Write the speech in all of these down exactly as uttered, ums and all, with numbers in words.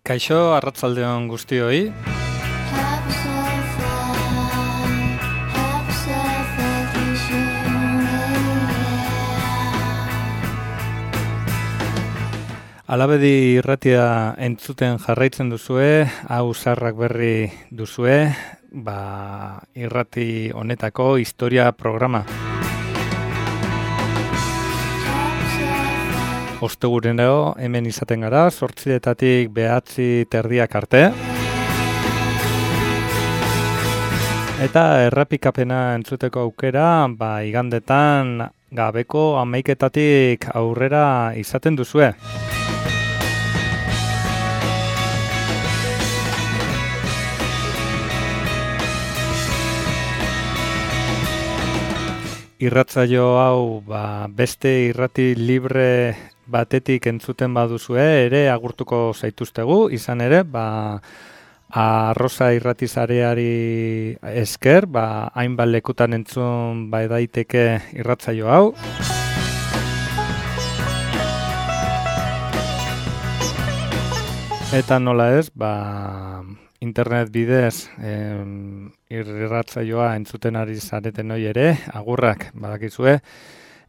Kaixo, arratsaldeon guztioi. Alabedi irratia entzuten jarraitzen duzue, hau Zarrak Berri duzue, ba, irrati honetako historia programa. Ostegunero hemen izaten gara, zortzietatik behatzi terdiak arte. Eta errepikapena entzuteko aukera, ba, igandetan gabeko hamaiketatik aurrera izaten duzue. Irratsaio hau ba, beste irrati libre batetik entzuten baduzue ere agurtuko zaituztegu, izan ere, ba, Arrosa irratizareari esker, ba, hainbat lekutan entzun bai daiteke irratsaio hau. Eta nola ez, ba, internet bidez em, irratsaioa entzuten ari zareten hori ere, agurrak, badakizue,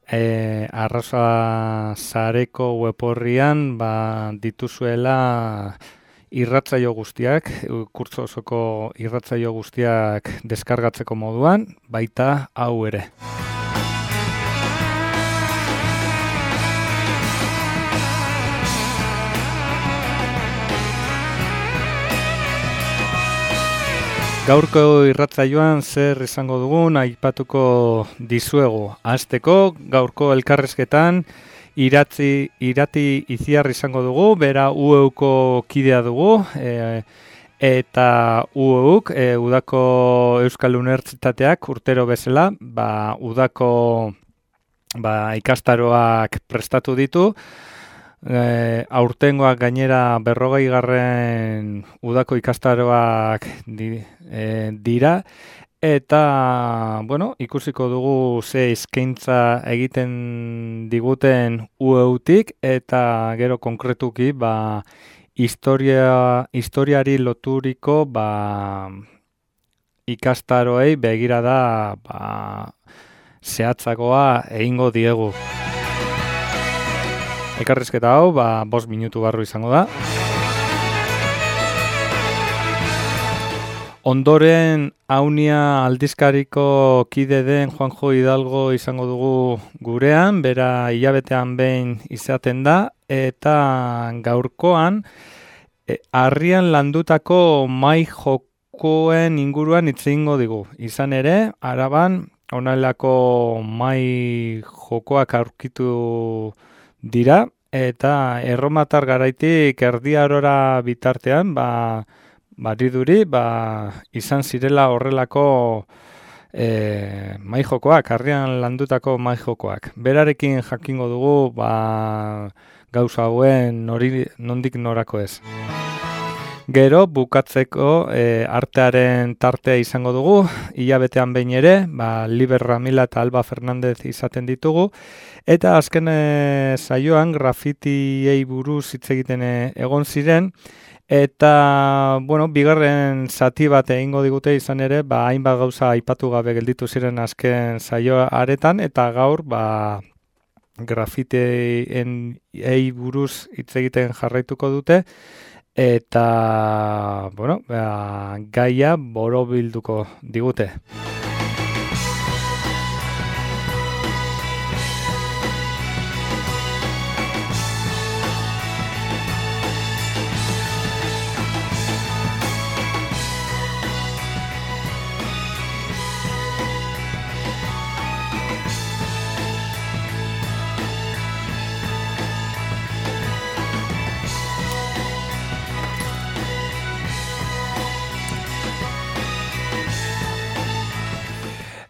e, Arrosa Zareko web-orrian ba, dituzuela irratsaio guztiak, kurtso osoko irratsaio guztiak deskargatzeko moduan, baita hau ere. Gaurko irratsaioan zer izango dugun aipatuko dizuegu. Hasteko gaurko elkarrezketan iratzi, irati Itziar izango dugu, bera U E Uko kidea dugu, e, eta U E Uk, e, Udako Euskal Unibertsitateak urtero bezala, ba, Udako ba, ikastaroak prestatu ditu. E, aurtengoak gainera berrogei garren udako ikastaroak di, e, dira eta bueno, ikusiko dugu ze eskaintza egiten diguten U E Utik eta gero konkretuki ba, historia, historiari loturiko ba, ikastaroei begirada ba, zehatzagoa egingo diegu. Ekarrizketa hau, ba, bost minutu barru izango da. Ondoren, Aunia aldizkariko kide den Juanjo Hidalgo izango dugu gurean, bera hilabetean behin izaten da, eta gaurkoan, e, harrian landutako mai jokoen inguruan hitz egingo digu. Izan ere, Araban, honelako mai jokoak aurkitu dira, eta erromatar garaitik Erdi Arora bitartean, ba, bariduri, ba, izan zirela horrelako e, maijokoak, harrian landutako maijokoak. Berarekin jakingo dugu, ba, gauza hauen nori, nondik norako ez. Gero, bukatzeko e, artearen tartea izango dugu, hilabetean behin ere, ba, Liber Ramila eta Alba Fernandez izaten ditugu, eta azken e, saioan grafitiei buruz hitz egiten egon ziren, eta, bueno, bigarren zati bat egingo digute izan ere, ba, hainbat gauza aipatu gabe gelditu ziren azken saioa aretan, eta gaur, ba, grafitiei buruz hitz egiten jarraituko dute, eta, bueno, ba, gaia borobilduko digute.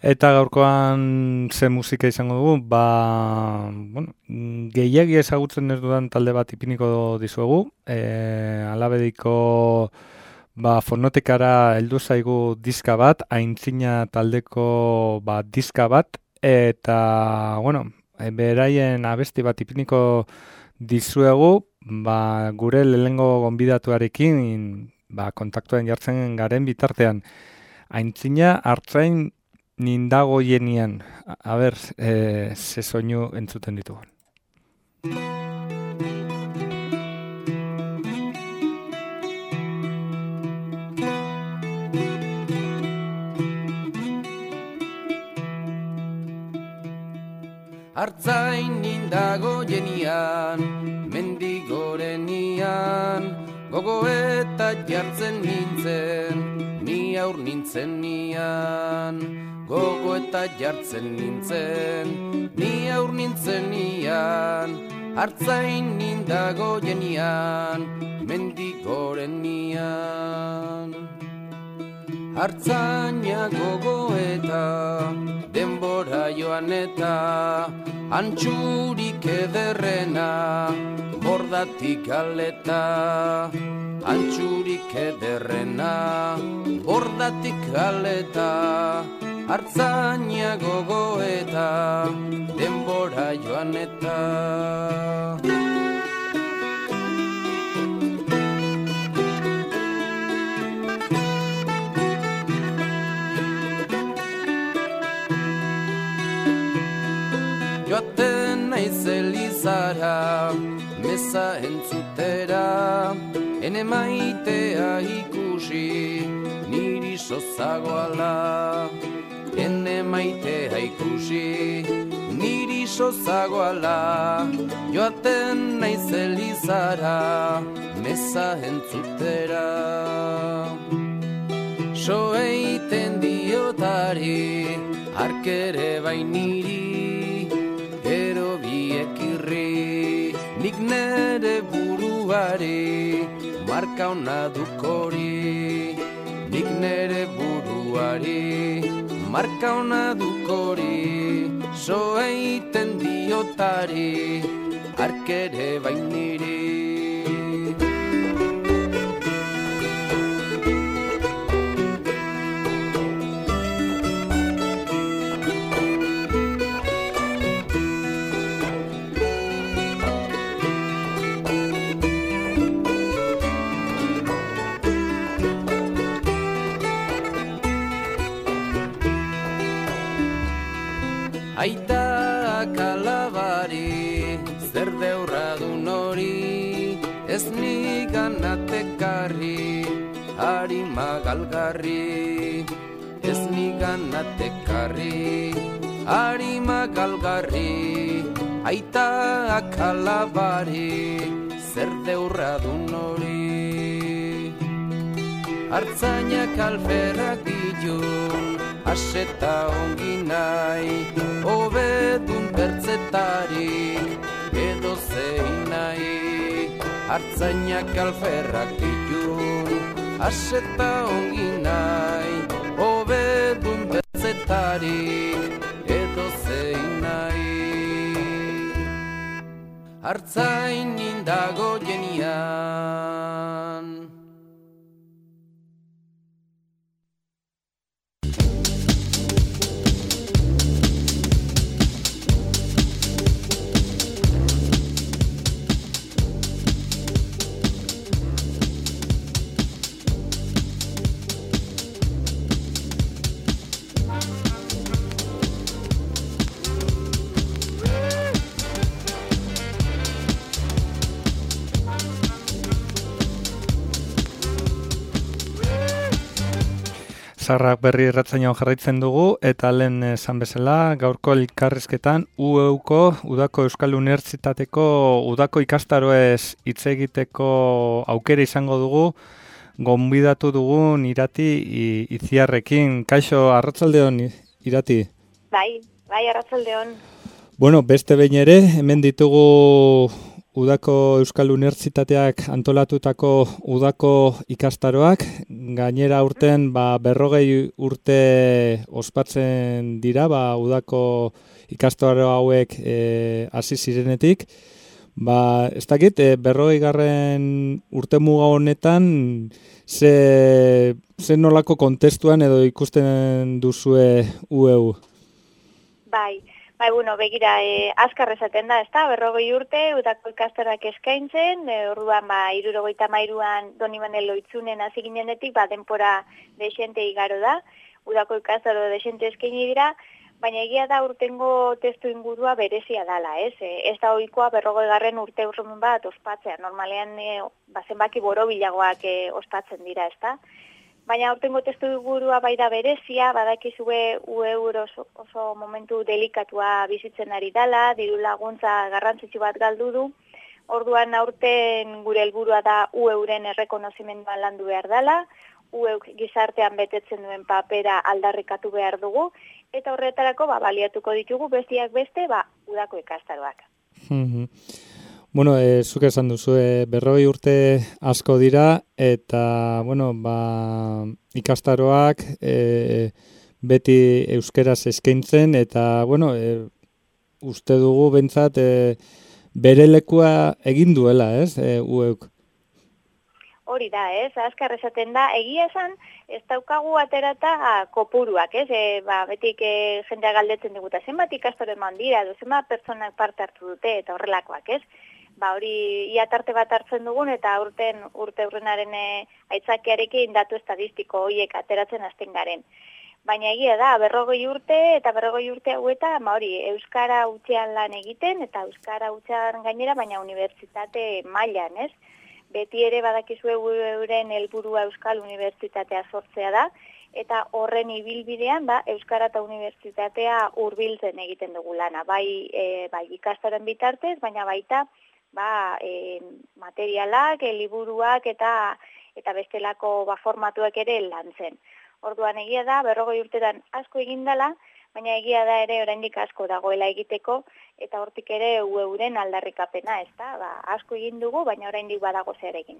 Eta gaurkoan ze musika izango dugu, ba, bueno, gehiagi ezagutzen ez dudan talde bat ipiniko dizuegu, e, Alabediko ba, fonotekara heldu zaigu diska bat, aintzina taldeko ba, diska bat, eta, bueno, beraien abesti bat ipiniko dizuegu, ba, gure lehengo gonbidatuarekin ba, kontaktuen jartzen garen bitartean. Aintzina hartzain nindago jenian. A, a ber, e, ze soinu entzuten ditugun. Hartzain nindago jenian, mendigorenian, gogo eta jartzen nintzen, ni aur nintzen nian. Gogo eta jartzen nintzen, ni aur nintzen nian. Hartzain nindago jenian, mendigorenian. Hartzaina gogo eta denbora joan eta antxurik ederrena bordatik galeta. Antxurik ederrena bordatik galeta. Hartzaina gogo eta denbora joan eta. Joaten naiz elizara, meza entzutera, ene maitea ikusi, niri sozagoala. Ene maitea ikusi, niri sozagoala. Joaten naiz elizara, meza entzutera. So eiten diotari, arkere bainiri, gero biekirri, nik nere buruari, marka ona dukori. Nik nere buruari, marka ona dukori. So eiten diotari, arkere bainiri. Aita kalabari, zer deurra du nori, ez nigan atekarri, harima galgarri. Ez nigan atekarri, harima galgarri. Aita kalabari, zer deurra du nori. Hartzainak alferrak ditun, aseta ongi nahi, hobedun bertzetarik, edo zein nahi. Hartzainak alferrak ditun, aseta ongi nahi, hobedun bertzetarik, edo zein nahi. Hartzain nindago jenian. Zarrak berri erratzainoan jarraitzen dugu, eta lehen esan bezala, gaurko elkarrizketan U E Uko, Udako Euskal Unibertsitateko Udako ikastaroez hitz egiteko aukera izango dugu, gonbidatu dugun Irati Itziarrekin. Kaixo, arratsaldeon Irati? Bai, bai, arratsaldeon. Bueno, beste behin ere, hemen ditugu Udako Euskal Unibertsitateak antolatutako Udako ikastaroak, gainera urten ba, berrogei urte ospatzen dira, ba, Udako ikastaro hauek e, hasi zirenetik. Ba, ez dakit, e, berrogei garren urte muga honetan, ze, ze nolako kontestuan edo ikusten duzue U E U? Bai, Bai, bueno, begira, e, azkar esaten da, ezta? Berrogei urte, udako ikastaroak eskaintzen, e, orduan, ba, irurogeita mairuan Doni Manuel Loitzunen hasi ginenetik, ba, denpora desente igaro da, udako ikastaro desente eskaini dira, baina egia da urtengo testu ingurua berezia dala, ez? E, ez da ohikoa berrogei garren urte urrumen bat ospatzea, normalean, e, ba, zenbaki borobilagoak e, ospatzen dira, ezta? Baina aurtengo testu ingurua bai da berezia, badakizue U E oso, oso momentu delikatua bizitzen ari dala, diru laguntza garrantzitsu bat galdu du, orduan aurten gure helburua da U E-ren errekonozimendua landu behar dala, U E gizartean betetzen duen papera aldarrikatu behar dugu, eta horretarako ba, baliatuko ditugu bestiak beste ba, udako ikastaroak. Bueno, e, zuk esan duzu, e, berrogei urte asko dira, eta, bueno, ba, ikastaroak e, beti euskeraz eskaintzen, eta, bueno, e, uste dugu bentsat e, bere lekua egin duela, ez, e, ueuk? Hori da, ez, azkar esaten da, egia esan, ez daukagu aterata kopuruak, ez, e, ba, betik e, jendea galdetzen diguta, zenbat ikastaro eman dira, edo zenbat pertsonak parte hartu dute, eta horrelakoak, ez? Ba, hori ia tarte bat hartzen dugun eta urten urte urrenaren e, aitzakiarekin datu estadistiko horiek ateratzen hasten garen. Baina egia da, berrogei urte eta berrogei urte hauetan, ba hori, euskara hutsean lan egiten eta euskara hutsean gainera, baina unibertsitate mailan, ez? Beti ere badakizue euren helburua Euskal Unibertsitatea sortzea da, eta horren ibilbidean ba, euskara eta unibertsitatea hurbiltzen egiten dugu lana, bai, e, bai ikastaroen bitartez, baina baita ba, e, materialak, e, liburuak eta eta bestelako ba, formatuak ere lantzen. Orduan egia da, berrogei urtetan asko egin dela, baina egia da ere oraindik asko dagoela egiteko, eta hortik ere U E-ren aldarrikapena, ez da? Ba, asko egin dugu, baina oraindik badago zer egin.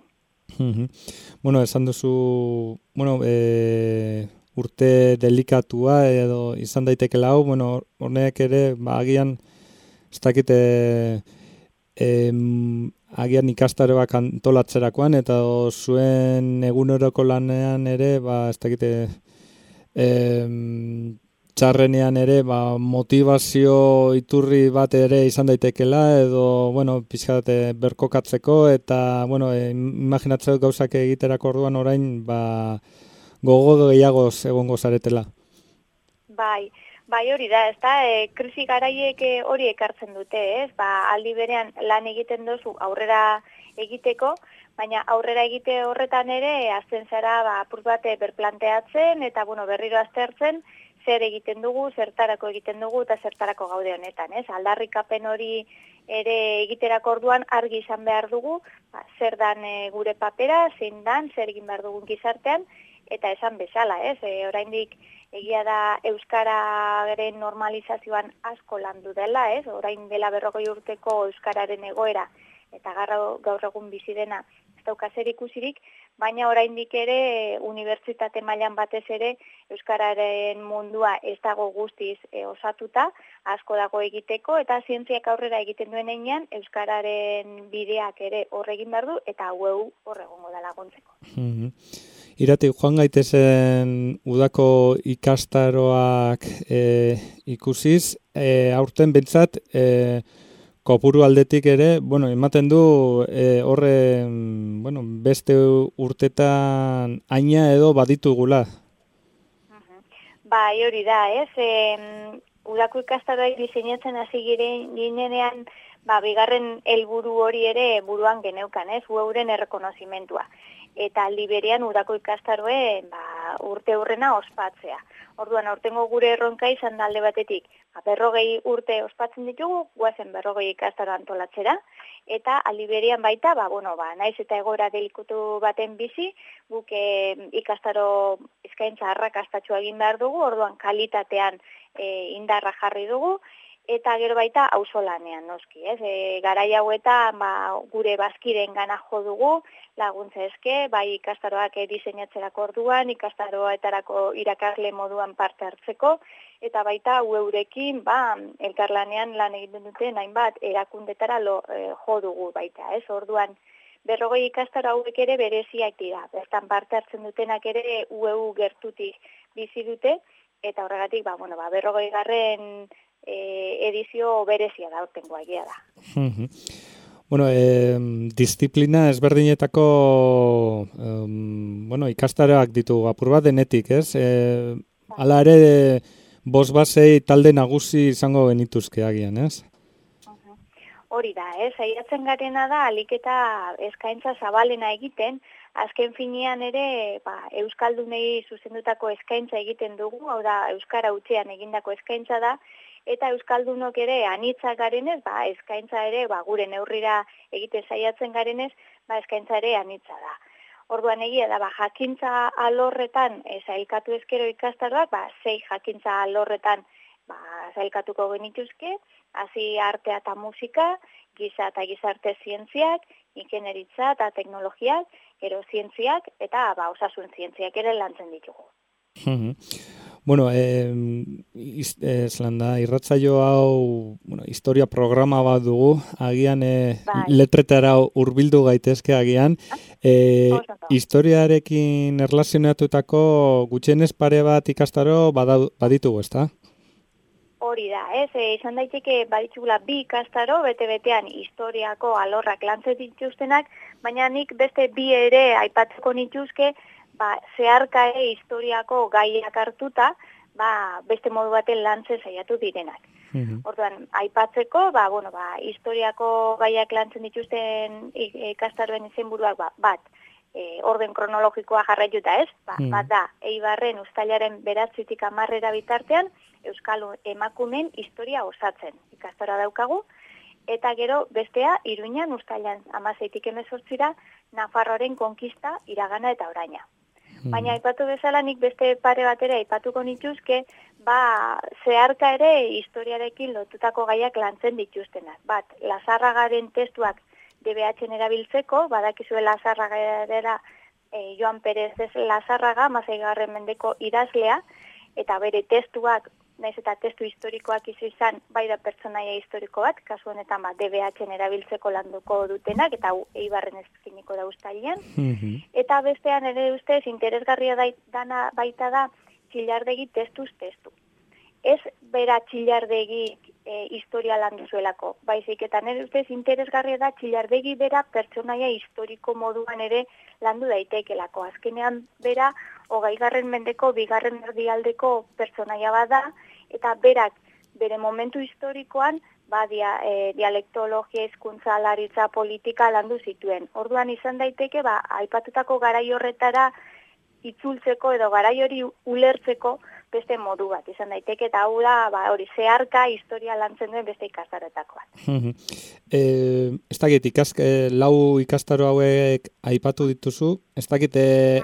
Bueno, esan duzu, bueno, e, urte delikatua edo izan daitekela hau, bueno, honek ere, ba, agian, ez dakite, Em, agian ikastaroak antolatzerakoan eta zuen eguneroko lanean ere, ba, ez dakite, em, txarrenean ere, ba, motivazio iturri bat ere izan daitekela, edo, bueno, pixkat berkokatzeko, eta, bueno, e, imaginatzeko gauzak egiterako orduan orain, ba, gogo gehiagoz egongo zaretela. Bai, Bai, hori da, ez da, e, krisi garaiek hori ekartzen dute, ez? Ba, aldi berean lan egiten duzu aurrera egiteko, baina aurrera egite horretan ere, azten zara, ba, apur bate berplanteatzen, eta, bueno, berriro aztertzen, zer egiten dugu, zertarako egiten dugu, eta zertarako gaude honetan, ez? Aldarrikapen hori ere egiterako orduan argi izan behar dugu, ba, zer dan e, gure papera, zein dan, zer egin behar dugun gizartean, eta esan bezala, ez? E, oraindik egia da euskararen normalizazioan asko landu dela, ez? Orain dela berrogei urteko euskararen egoera eta gaur egun bizi dena ez dauka zer ikusirik, baina oraindik ere unibertsitate mailan batez ere euskararen mundua ez dago guztiz e, osatuta, asko dago egiteko eta zientziak aurrera egiten duen heinean euskararen bideak ere hor egin behar du eta U E hor egongo da laguntzeko. Mm-hmm. Irati, joan gaitezen udako ikastaroak e, ikusiz, e, aurten bentsat, e, kopuru aldetik ere, bueno, ematen du e, horre, bueno, beste urtetan aina edo baditugula. Uh-huh. Bai, hori da, ez? E, udako ikastaroak diseinatzen hasi ginenean, ba, bigarren helburu hori ere buruan geneukan, ez? U E-ren errekonozimentua. Eta aldi berean udako ikastaroen ba, urte hurrena ospatzea. Orduan, aurtengo gure erronka izan da alde batetik, ba, berrogei urte ospatzen ditugu, guazen berrogei ikastaro antolatzera, eta aldi berean baita, ba, bueno, ba, naiz eta egoera delikutu baten bizi, guk e, ikastaro eskaintza arrakastatxua egin behar dugu, orduan kalitatean e, indarra jarri dugu, eta gero baita auzolanean noski, ez? E, garai hauetan ba, gure bazkiren gana jo dugu, laguntza eske, bai ikastaroak diseinatzerako orduan, ikastaroetarako irakasle moduan parte hartzeko, eta baita U E-rekin ba, elkarlanean lan egiten duten hainbat erakundetara lo, e, jo dugu baita, ez? Orduan, berrogei ikastaro hauek ere bereziak dira, bertan parte hartzen dutenak ere U E gertutik bizi dute, eta horregatik, ba, bueno, ba, berrogei garren e, edizio berezia da urtengoa egia da. Mhm. Bueno, eh, disiplina ezberdinetako um, bueno, ikastaroak ditu apur bat denetik, ez? Eh, hala ere, bost basei talde nagusi izango genituzke agian, ez? Hori da, ez? Saiatzen garena da, alik eta eskaintza zabalena egiten, azken finean ere, ba, euskaldunei zuzendutako eskaintza egiten dugu, hau da, euskara hutsean egindako eskaintza da, eta euskaldunok ere anitzak garenez, ba, eskaintza ere, ba, gure neurrira egiten saiatzen garenez, ba, eskaintza ere anitza da. Orduan egia da, ba, jakintza alorretan e, zailkatu ezkero ikastaroak, ba, sei jakintza alorretan ba, zailkatuko genituzke, hasi artea eta musika, giza eta gizarte zientziak, ingenieritza eta teknologiak, gero zientziak eta ba, osasun zientziak ere lantzen ditugu. Bueno, eh, eslan da, irratzaio hau bueno, historia programa bat dugu, agian eh, bai. letretara hurbildu gaitezke agian. Eh, historiarekin erlazionatutako gutxienez pare bat ikastaro baditugu, ezta? Hori da, ez, e, izan daiteke baditugula bi ikastaro, bete-betean historiako alorrak lantzen dituztenak, baina nik beste bi ere aipatzeko nituzke, ba, zeharka ere historiako gaiak hartuta, ba, beste modu baten lantzen saiatu direnak. Mm-hmm. Orduan, aipatzeko, ba, bueno, ba, historiako gaiak lantzen dituzten ikastaroen izenburuak, ba, bat, e, orden kronologikoa jarraituta ez, ba, mm. bat da, Eibarren uztailaren beratzitik hamarrera bitartean, Euskal emakumeen historia osatzen ikastara daukagu, eta gero bestea Iruñan uztailan hamaseitik hemezortzira Nafarroaren konkista, iragana eta oraina. Hmm. Baina aipatu bezala nik beste pare batera aipatuko nituzke, ba zeharka ere historiarekin lotutako gaiak lantzen dituztenak. Bat, Lazarragaren testuak D B H-en erabiltzeko, badakizue Lazarragara e, Joan Perez Lazarraga, hamaseigarren mendeko idazlea, eta bere testuak naiz eta testu historikoak izan, bai da pertsonaia historiko bat, kasu honetan ba, D B H-en erabiltzeko landuko dutenak, eta Eibarren eskiniko da uztailean. Mm-hmm. Eta bestean ere ustez, interesgarria da, dana baita da, Txillardegi testuz testu. Ez bera Txillardegi e, historia landu zuelako, baizik eta nire ustez interesgarria da Txillardegi bera pertsonaia historiko moduan ere landu daitekelako. Azkenean bera, hogeigarren mendeko, bigarren erdialdeko pertsonaia bada, eta berak bere momentu historikoan ba, dia, e, dialektologia, hizkuntza, laritza, politika landu zituen. Orduan izan daiteke, ba, aipatutako garai horretara itzultzeko edo garai hori ulertzeko beste modu bat izan daiteke, eta hau da, ba, hori zeharka historia lantzen duen beste ikastaroetako bat. eh, ez dakit, ikask, eh, lau ikastaro hauek aipatu dituzu, ez dakit, eh,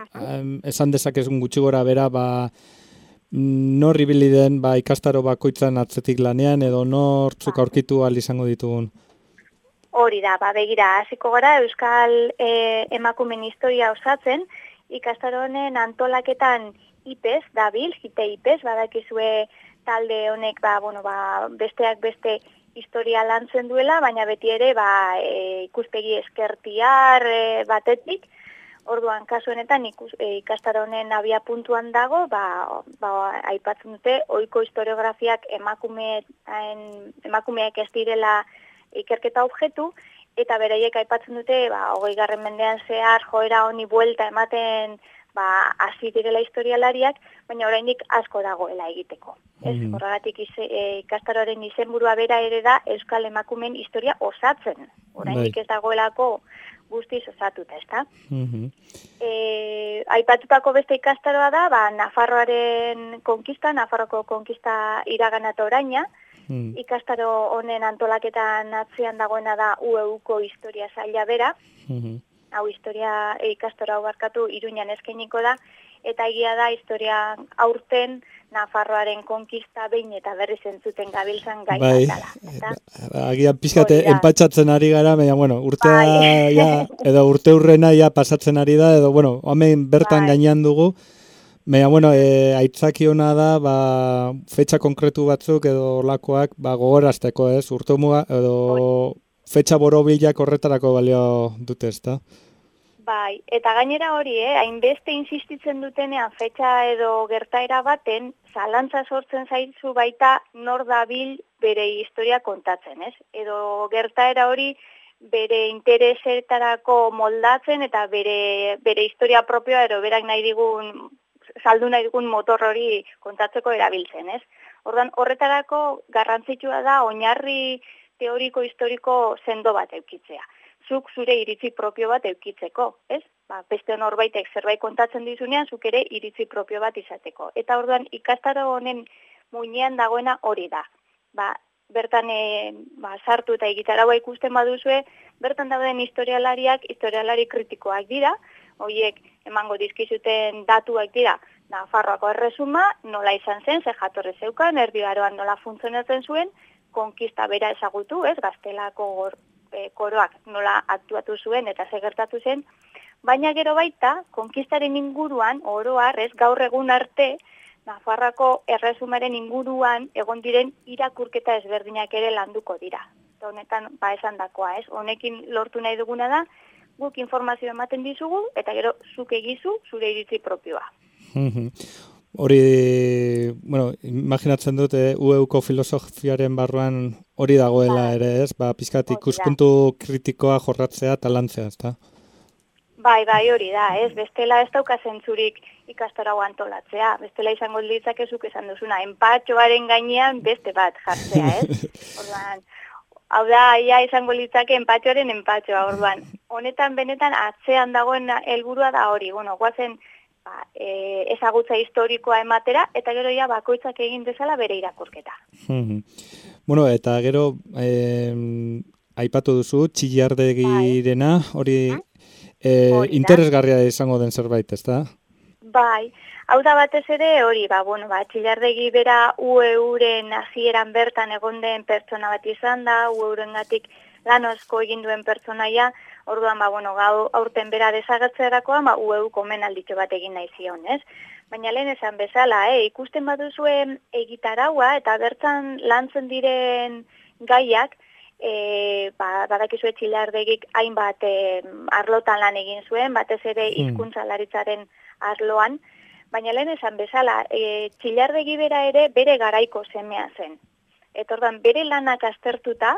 esan dezakezun gutxi gora bera, ba, nor ibili den ba, ikastaro bakoitzan atzetik lanean, edo nortzuk aurkitu ahal izango ditugun? Hori da, ba, begira, hasiko gara Euskal eh, emakumeen historia osatzen, ikastaro honen antolaketan I P E S dabil, jite I P E S, badakizue talde honek ba, bueno, ba, besteak beste historia lantzen duela, baina beti ere ba, e, ikuspegi eskertiar e, batetik. Orduan, kasu honetan ikus, e, ikastaro honen abia puntuan dago, ba, ba, aipatzen dute, ohiko historiografiak emakumeak, emakumeak ez direla ikerketa objektu, eta bereiek aipatzen dute, ba, hogeigarren mendean zehar joera honi buelta ematen ba, hasi direla historialariak, baina oraindik asko dagoela egiteko. Ez, mm-hmm. Horregatik e, ikastaroren izenburua bera ere da Euskal emakumeen historia osatzen. Oraindik ez dagoelako guztiz osatuta, ezta? Mm-hmm. E, aipatutako beste ikastaroa da, ba, Nafarroaren konkista, Nafarroko konkista iragana eta oraina, mm. ikastaro honen antolaketan atzean dagoena da U E U-ko historia zaila bera, mm-hmm. hau historia e, ikastaro hau barkatu Iruñan eskainiko da, eta egia da historia aurten Nafarroaren konkista behin eta berriz entzuten gabiltzan gai bai, batala. Agian pixkate enpatxatzen ari gara, baina, bueno, urtea bai. ja, edo urte urrena ja pasatzen ari da, edo, bueno, hemen bertan bai. Gainean dugu, baina, bueno, e, aitzaki hona da, ba, fetxa konkretu batzuk edo lakoak, ba, gogorazteko, ez, urte muga, edo oi. Fetxa borobilak horretarako balio dute, ez da? Bai, eta gainera hori, eh, hainbeste insistitzen dutenean fetxa edo gertaera baten, zalantza sortzen zaizu baita nor dabil bere historia kontatzen, ez? Edo gertaera hori bere interesetarako moldatzen eta bere, bere historia propioa edo berak nahi digun, saldu nahi digun motor hori kontatzeko erabiltzen, ez? Ordan horretarako garrantzitsua da oinarri teoriko historiko sendo bat eukitzea. Zuk zure iritzi propio bat eukitzeko, ez? Ba, beste norbaitek zerbait kontatzen dizunean, zuk ere iritzi propio bat izateko. Eta orduan ikastaro honen muinean dagoena hori da. Ba, bertan e, ba, sartu eta egitaraua ikusten baduzue, bertan dauden historialariak, historialari kritikoak dira, horiek emango dizkizuten datuak dira, Nafarroako erresuma, nola izan zen, ze jatorre zeukan, Erdi Aroan nola funtzionatzen zuen, konkista bera ezagutu, ez, Gaztelako gor, e, koroak nola aktuatu zuen eta ze gertatu zen, baina gero baita, konkistaren inguruan, oro har, ez, gaur egun arte, Nafarroako erresumaren inguruan egon diren irakurketa ezberdinak ere landuko dira. Eta honetan, ba esan dakoa, ez? Honekin lortu nahi duguna da, guk informazio ematen dizugu, eta gero zuk egizu zure iritzi propioa. Hori, bueno, imaginatzen dut, eh, U E-ko filosofiaren barruan hori dagoela ba, ere, ez? Ba, pizkat ikuspuntu kritikoa jorratzea eta lantzea, ezta? Bai, bai, hori da, ez? Bestela ez dauka zentzurik ikastarau antolatzea. Bestela izango ditzakezuk esan duzuna, enpatxoaren gainean beste bat jartzea, ez? Orduan, hau da, ia izango litzake enpatxoaren enpatxoa, orduan. Honetan benetan atzean dagoen helburua da hori, bueno, guazen ba, e, ezagutza historikoa ematera, eta gero ja bakoitzak egin dezala bere irakurketa. Bueno, eta gero, eh, aipatu duzu, Txillardegirena, hori eh, interesgarria izango den zerbait, ezta? Bai, hau da batez ere hori, ba, bueno, ba, Txillardegi bera U E-uren hasieran bertan egon den pertsona bat izan da, U E-urengatik lan asko egin duen pertsonaia, orduan, ba, bueno, gau aurten bera desagertzerakoan, ba, U E-uk omenalditxo bat egin nahi zion, ez? Baina lehen esan bezala, eh, ikusten baduzuen egitaraua eta bertan lantzen diren gaiak, E, ba, badakizue Txillardegik hainbat e, arlotan lan egin zuen, batez ere hizkuntzalaritzaren arloan, baina lehen esan bezala, e, Txillardegi bera ere bere garaiko semea zen. Eta ordan bere lanak aztertuta,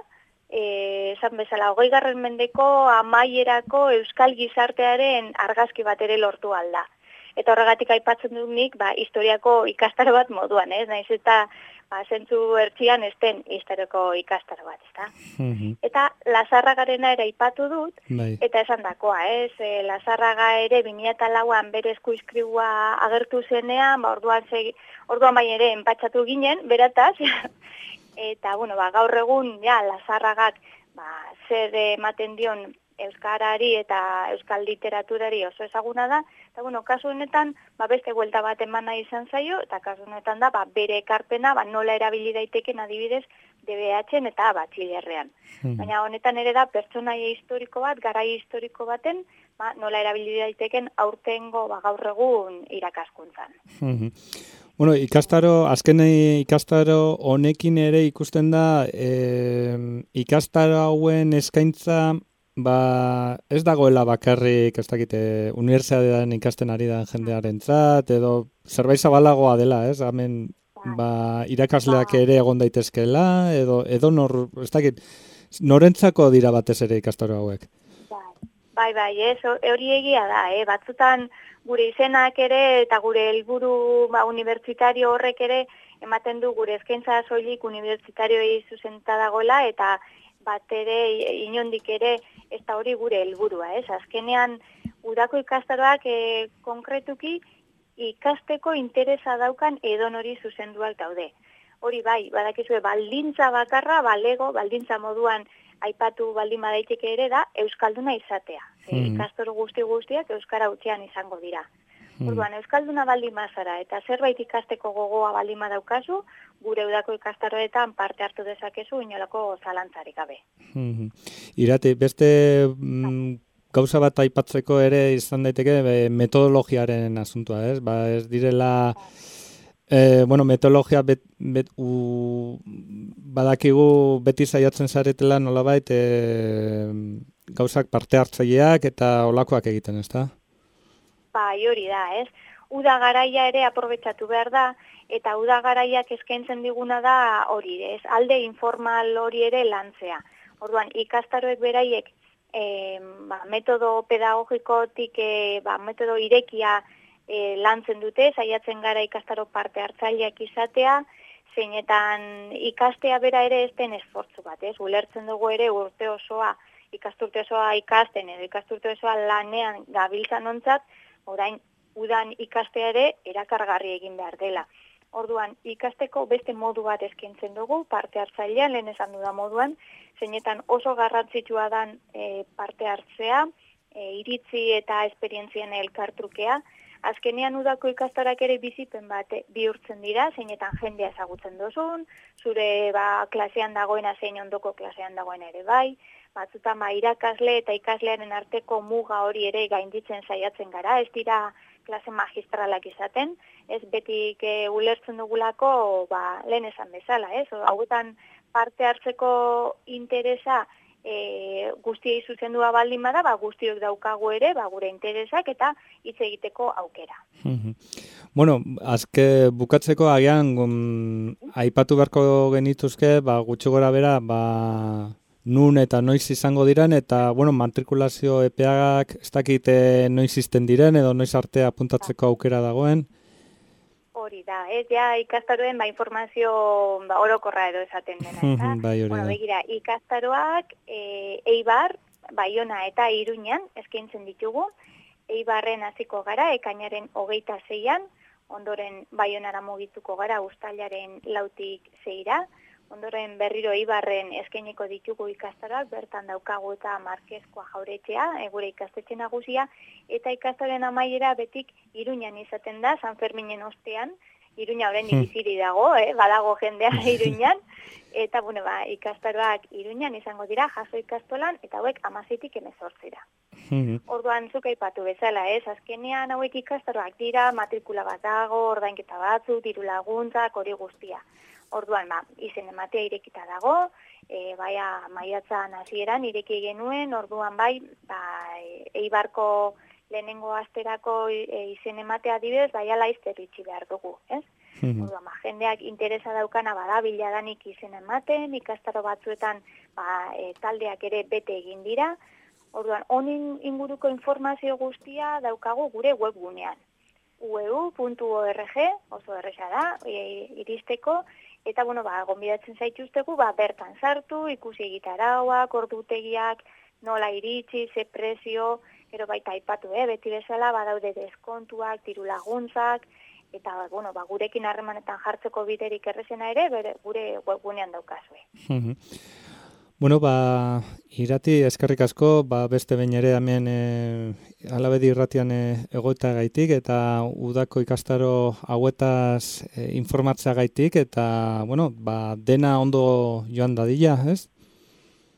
e, esan bezala, hogeigarren mendeko amaierako euskal gizartearen argazki bat ere lortu alda. Eta horregatik aipatzen dut nik, ba, historiako ikastaro bat moduan, ez? Naiz eta ba, zentzu ertzian ez den historiako ikastaro bat, ezta? Mm-hmm. Eta Lazarragarena ere aipatu dut, bai. Eta esan dakoa, ez? E, Lazarraga ere bi mila lauan bere eskuizkribua agertu zenean, ba, orduan, segi, orduan bai ere enpatxatu ginen, berataz, eta, bueno, ba, gaur egun, ja, Lazarragak, ba, zer ematen dion euskarari eta euskal literaturari oso ezaguna da, eta bueno, kasu honetan, ba, beste buelta bat eman nahi izan zaio, eta kasu honetan da, ba, bere ekarpena, ba, nola erabili daiteken adibidez, D B H-en eta Batxilerrean. Hmm. Baina honetan ere da, pertsonaia historiko bat, garai historiko baten, ba, nola erabili daiteken aurtengo, ba, gaur egun irakaskuntzan. Hmm. Bueno, ikastaro, azken ikastaro honekin ere ikusten da, eh, ikastaro hauen eskaintza, ba, ez dagoela bakarrik, ez dakite, unibertsitatean ikasten ari da jendearentzat, edo zerbait zabalagoa dela, ez? Hemen, ba, irakasleak ere egon daitezkeela, edo, edo nor, ez dakit, norentzako dira batez ere ikastaro hauek? Bai, bai, ez, hori egia da, eh? Batzutan gure izenak ere eta gure helburu ba, unibertsitario horrek ere ematen du gure eskaintza soilik unibertsitarioei zuzenta dagoela, eta bat ere, inondik ere, ez da hori gure helburua, ez? Azkenean, udako ikastaroak e, konkretuki ikasteko interesa daukan edonori zuzenduak daude. Hori bai, badakizue, baldintza bakarra, balego, baldintza moduan aipatu baldin badaiteke ere da, euskalduna izatea. Mm. Ikastoro guzti guztiak euskara utzian izango dira. Mm. Orduan, euskalduna baldin bazara eta zerbait ikasteko gogoa baldin badaukazu, gure udako ikastaroetan parte hartu dezakezu inolako zalantzarik gabe. Mm-hmm. Irati, beste mm, gauza bat aipatzeko ere izan daiteke metodologiaren asuntua, ez? Ba, ez direla, eh, bueno, metodologia bet, bet, u, badakigu beti saiatzen zaretela nolabait eh, gauzak parte hartzaileak eta olakoak egiten, ezta? Bai, hori da, ez? Uda garaia ere aprobetxatu behar da, eta uda garaiak eskaintzen diguna da hori, ez? Alde informal hori ere lantzea. Orduan, ikastaroek beraiek e, ba, metodo pedagogikotik, e, ba, metodo irekia e, lantzen dute, saiatzen gara ikastaro parte hartzaileak izatea, zeinetan ikastea bera ere ez den esfortzu bat, ez? Ulertzen dugu ere urte osoa, ikasturte osoa ikasten edo ikasturte osoa lanean gabiltzan ontzat, orain udan ikastea ere erakargarri egin behar dela. Orduan, ikasteko beste modu bat eskaintzen dugu, parte hartzailean, lehen esan duda moduan, zeinetan oso garrantzitsua dan e, parte hartzea, e, iritzi eta esperientzien elkartrukea. Azkenean udako ikastarak ere bizipen bat bihurtzen dira, zeinetan jendea ezagutzen duzun, zure ba, klasean dagoena zein ondoko klasean dagoena ere bai, batzutan ba, irakasle eta ikaslearen arteko muga hori ere gainditzen saiatzen gara, ez dira klase magistralak izaten, ez betik e, ulertzen dugulako ba, lehen esan bezala, ez? Hauetan parte hartzeko interesa e, guztiei zuzendua baldin bada, ba, guztiok daukagu ere, ba, gure interesak eta hitz egiteko aukera. Bueno, azke bukatzeko agian um, aipatu beharko genituzke, ba, gutxi gora bera, ba, nun eta noiz izango diren, eta, bueno, matrikulazio epeak ez dakite noiz izten diren, edo noiz arte apuntatzeko aukera dagoen. Hori da, ez ja ikastaroen ba, informazio ba, orokorra edo esaten dena. Eta, bai, hori bueno, da. begira, ikastaroak e, Eibar, Baiona eta Iruñan eskaintzen ditugu. Eibarren hasiko gara, ekainaren hogeita zeian, ondoren Baionara mugituko gara uztailaren lautik zeira, ondoren berriro Eibarren eskainiko ditugu ikastaroak, bertan daukagu eta Markezkoa Jauretxea, e, gure ikastetxe nagusia, eta ikastaroen amaiera betik Iruñan izaten da, San Ferminen ostean, Iruña oraindik biziri dago, eh? Badago jendea Iruñan, eta bueno, ba, ikastaroak Iruñan izango dira, jaso ikastolan, eta hauek hamaseitik hemezortzira. Orduan zuk aipatu bezala, ez? Azkenean hauek ikastaroak dira, matrikula bat dago, ordainketa batzuk, diru laguntzak, hori guztia. Orduan, ba, izen ematea irekita dago, e, baia maiatzan hasieran ireki genuen, orduan bai, ba, Eibarko lehenengo asterako e, izen ematea adibidez, bai ala izterritxi behar dugu, ez? Orduan, ba, jendeak interesa daukana bada biladanik izen ematen, ikastaro batzuetan ba, e, taldeak ere bete egin dira, orduan, honin inguruko informazio guztia daukagu gure webgunean. u e u puntu org, oso erresa da, e, iristeko, eta, bueno, ba, gonbidatzen zaituztegu, ba, bertan sartu, ikusi egitarauak, ordutegiak, nola iritsi, ze prezio, gero baita aipatu, eh, beti bezala, badaude deskontuak, diru laguntzak, eta, bueno, ba, gurekin harremanetan jartzeko biderik errezena ere, bere, gure webgunean daukazue. Bueno, ba, irati eskerrik asko, ba, beste behin ere hemen e, alabedi irratian e, egoita gaitik, eta udako ikastaro hauetaz e, informatzea gaitik, eta, bueno, ba, dena ondo joan dadila, ez?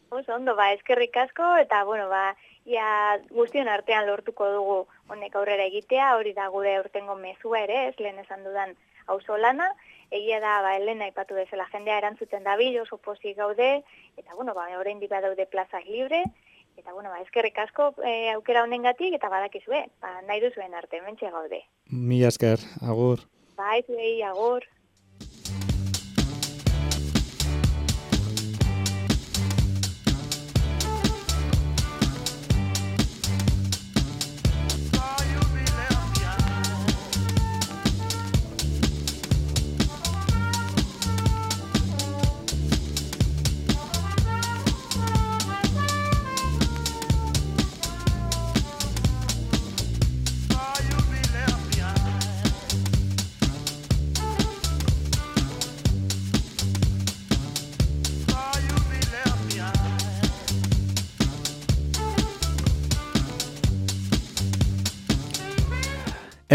Oso ondo, ba, eskerrik asko, eta, bueno, ba, ia guztion artean lortuko dugu honek aurrera egitea, hori da gure urtengo mezua ere, ez lehen esan dudan auzolana, egia da, ba, Elena aipatu bezala jendea erantzuten dabil, oso pozik gaude, eta, bueno, ba, oraindik badaude plazak libre, eta, bueno, ba, eskerrik asko e, aukera honengatik, eta badakizue, ba, nahi duzuen arte, mentxe gaude. Mila esker, agur. Bai, zuei, agur.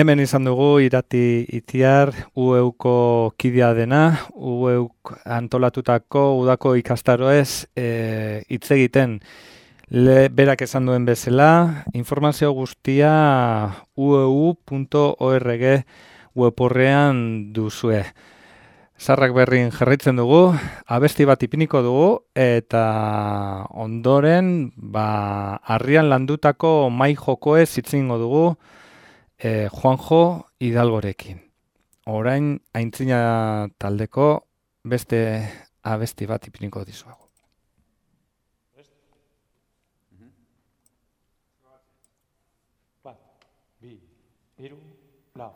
Hemen izan dugu irati itiar U E Uko kidea dena, U E Uk antolatutako udako ikastaroez e, hitz egiten. Le, berak esan duen bezala, informazio guztia u e u puntu org web horrean duzue. Zarrak berrin jarraitzen dugu, abesti bat ipiniko dugu, eta ondoren, ba, harrian landutako mai jokoez hitzingo dugu eh, Juanjo Hidalgorekin. Orain, aintzina taldeko beste abesti bat ipiniko dizuago. Bat, bi, hiru, lau.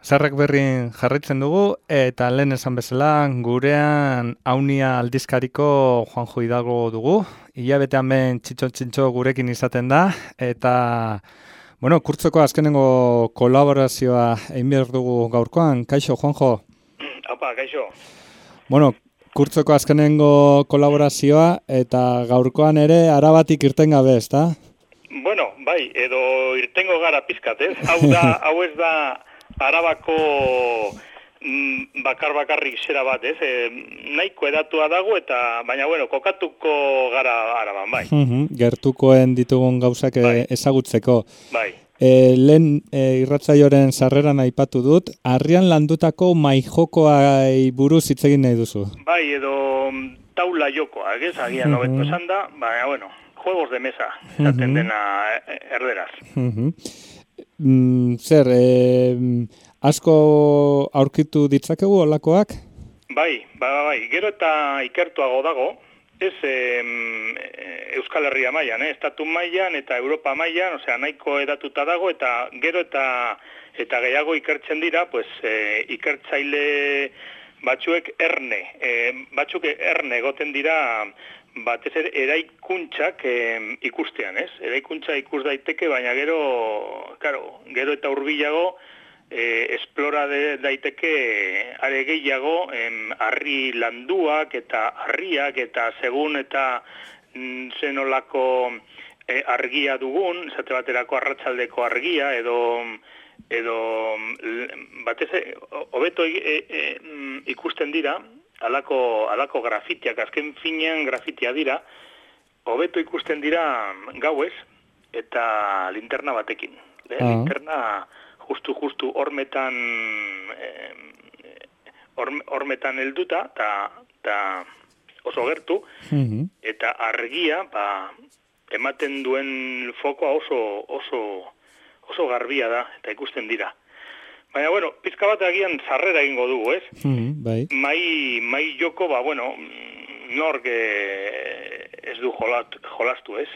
Zarrak berrin jarraitzen dugu, eta lehen esan bezala, gurean Aunia aldizkariko Juanjo Hidalgo dugu. Hilabetean ben txitxo-txintxo gurekin izaten da, eta, bueno, kurtzoko azkenengo kolaborazioa egin behar dugu gaurkoan. Kaixo, Juanjo? Apa, kaixo. Bueno, kurtzoko azkenengo kolaborazioa, eta gaurkoan ere arabatik irten gabe, ezta? Bueno, bai, edo irtengo gara pizkat, ez? Hau da, hau ez da Arabako mm, bakar bakarrik zera bat, ez? E, nahiko edatua dago eta, baina, bueno, kokatuko gara Araban, bai. Gertukoen ditugun gauzak bai. ezagutzeko. Bai. E, lehen e, irratsaioaren sarreran aipatu dut, harrian landutako maijokoai buruz hitz egin nahi duzu. Bai, edo taula jokoa, ez? Agian hobeto esan da, baina, bueno, juegos de mesa, esaten dena erderaz. Mm, zer, eh, asko aurkitu ditzakegu olakoak? Bai, bai, bai, gero eta ikertuago dago, ez eh, Euskal Herria mailan, eh, estatu mailan eta Europa mailan, osea, nahiko edatuta dago, eta gero eta eta gehiago ikertzen dira, pues, eh, ikertzaile batzuek erne, eh, batzuk erne egoten dira, batez ere eraikuntzak eh, ikustean, ez? Eraikuntza ikus daiteke, baina gero, claro, gero eta hurbilago eh, esplora de, daiteke are gehiago em, harri landuak eta harriak eta segun eta mm, zenolako eh, argia dugun, esate baterako arratsaldeko argia edo edo batez ere hobeto e, e, ikusten dira Alako, alako grafitiak, azken finean grafitia dira, hobeto ikusten dira gauez eta linterna batekin. Eh, ah. Linterna justu-justu hormetan eh, hormetan helduta, eta oso gertu, mm-hmm. eta argia ba, ematen duen fokoa oso, oso, oso garbia da, eta ikusten dira. Baina, bueno, pizka bat agian sarrera egingo dugu, ez? Mm, bai. Mai, mai joko, ba, bueno, nork eh, ez du jolat, jolastu, ez?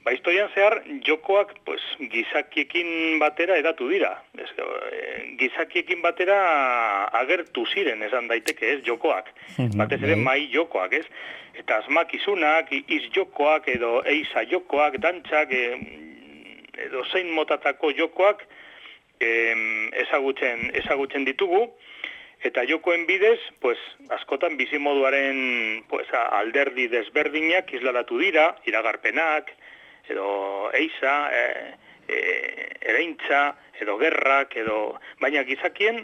Ba, historian zehar, jokoak, pues, gizakiekin batera edatu dira. Ez, eh, gizakiekin batera agertu ziren, esan daiteke, ez, jokoak. Mm-hmm, batez ere, bai. Mai jokoak, ez? Eta asmakizunak, iz jokoak, edo eiza jokoak, dantzak, eh, edo zein motatako jokoak, ezagutzen ezagutzen ditugu eta jokoen bidez, pues askotan bizimoduaren pues alderdi desberdinak isladatu dira, iragarpenak edo eiza, e, e, ereintza edo gerrak edo baina gizakien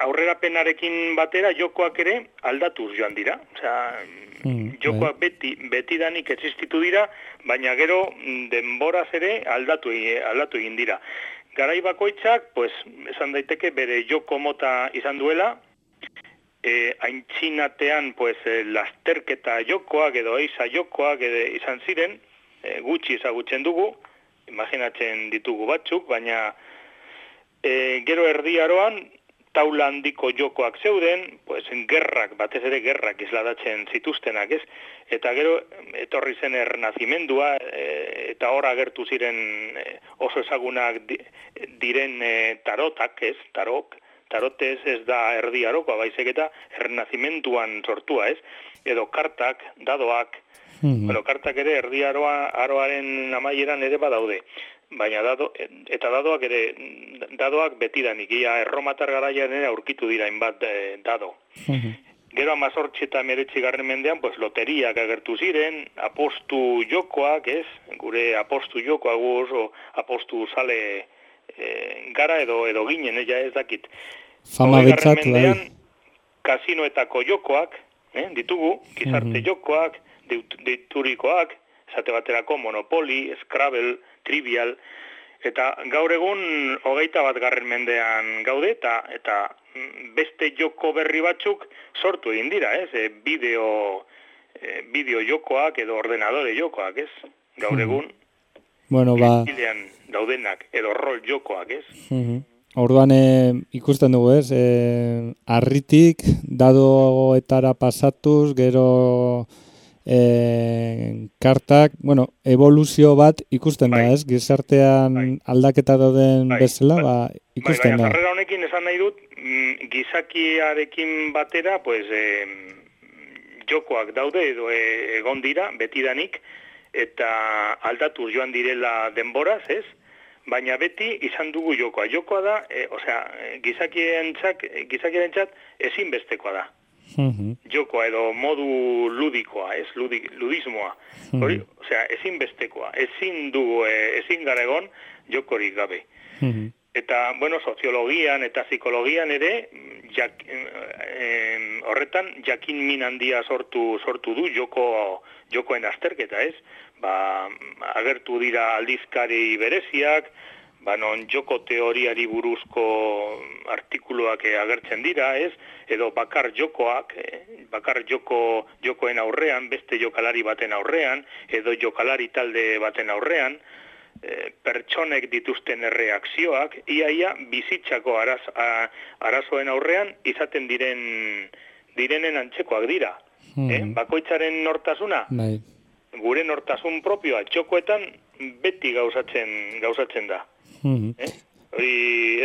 aurrerapenarekin batera jokoak ere aldatuz joan dira. Osea, mm, jokoak beti betidanik existitu dira, baina gero denboraz ere aldatu aldatu egin dira. Garai bakoitzak, pues, esan daiteke bere joko mota izan duela, e, aintzinatean, pues, e, lasterketa jokoak edo eiza jokoak edo izan ziren, e, gutxi ezagutzen dugu, imaginatzen ditugu batzuk, baina e, gero erdi aroan, taula handiko jokoak zeuden, pues, gerrak, batez ere gerrak isladatzen zituztenak, ez? Eta gero etorri zen ernazimendua, e, eta hor agertu ziren e, oso ezagunak di, diren e, tarotak, ez? Tarok, tarotez ez da erdi arokoa, baizik eta ernazimenduan sortua, ez? Edo kartak, dadoak, mm-hmm. Bueno, kartak ere erdi aroa, aroaren amaieran ere badaude. Baina dado, eta dadoak ere, dadoak betidanik, ia erromatar garaian ere aurkitu dira inbat e, dado. Mm-hmm. Gero amazortzi eta meretzi garren mendean, pues, loteriak agertu ziren, apostu jokoak, ez? Gure apostu jokoak oso apostu sale e, gara edo edo ginen, ja ez dakit. Fama betzat, bai. Kasinoetako jokoak, eh, ditugu, gizarte mm-hmm. jokoak, deiturikoak, esate baterako Monopoly, Scrabble, Trivial, eta gaur egun hogeita bat garren mendean gaude, eta, eta beste joko berri batzuk sortu egin dira, ez? E, bideo, e, bideo jokoak edo ordenadore jokoak, ez? Gaur egun, bueno, ba... daudenak, edo rol jokoak, ez? Mm-hmm. Orduan e, ikusten dugu, ez? E, arritik, dadoetara pasatuz, gero... E, kartak, bueno, evoluzio bat ikusten bai. Da, ez? Gizartean bai. Aldaketa dauden bai. Bezala, bai. Ba, ikusten da. da. Jarrera honekin esan nahi dut, mm, gizakiarekin batera, pues, eh, jokoak daude edo e, egon dira, betidanik, eta aldatuz joan direla denboraz, ez? Baina beti izan dugu jokoa. Jokoa da, e, osea, gizakientzat, gizakientzat ezinbestekoa da. Uh-huh. Jokoa edo modu ludikoa, ez? Ludi, ludismoa. Uh-huh. Hori, osea, ezinbestekoa. Ezin dugu, e, ezin gara egon jokorik gabe. Uh-huh. Eta, bueno, soziologian eta psikologian ere, jak, eh, horretan jakin min handia sortu sortu du joko jokoen azterketa, ez? Ba, agertu dira aldizkari bereziak, ba non joko teoriari buruzko artikuluak agertzen dira, ez? Edo bakar jokoak, eh, bakar joko jokoen aurrean, beste jokalari baten aurrean, edo jokalari talde baten aurrean, E, pertsonek dituzten erreakzioak, iaia bizitzako araz, a, arazoen aurrean izaten diren direnen antzekoak dira. Hmm. Eh? Bakoitzaren nortasuna, bai. Gure nortasun propioa txokoetan beti gauzatzen gauzatzen da. Hmm. Eh? Hori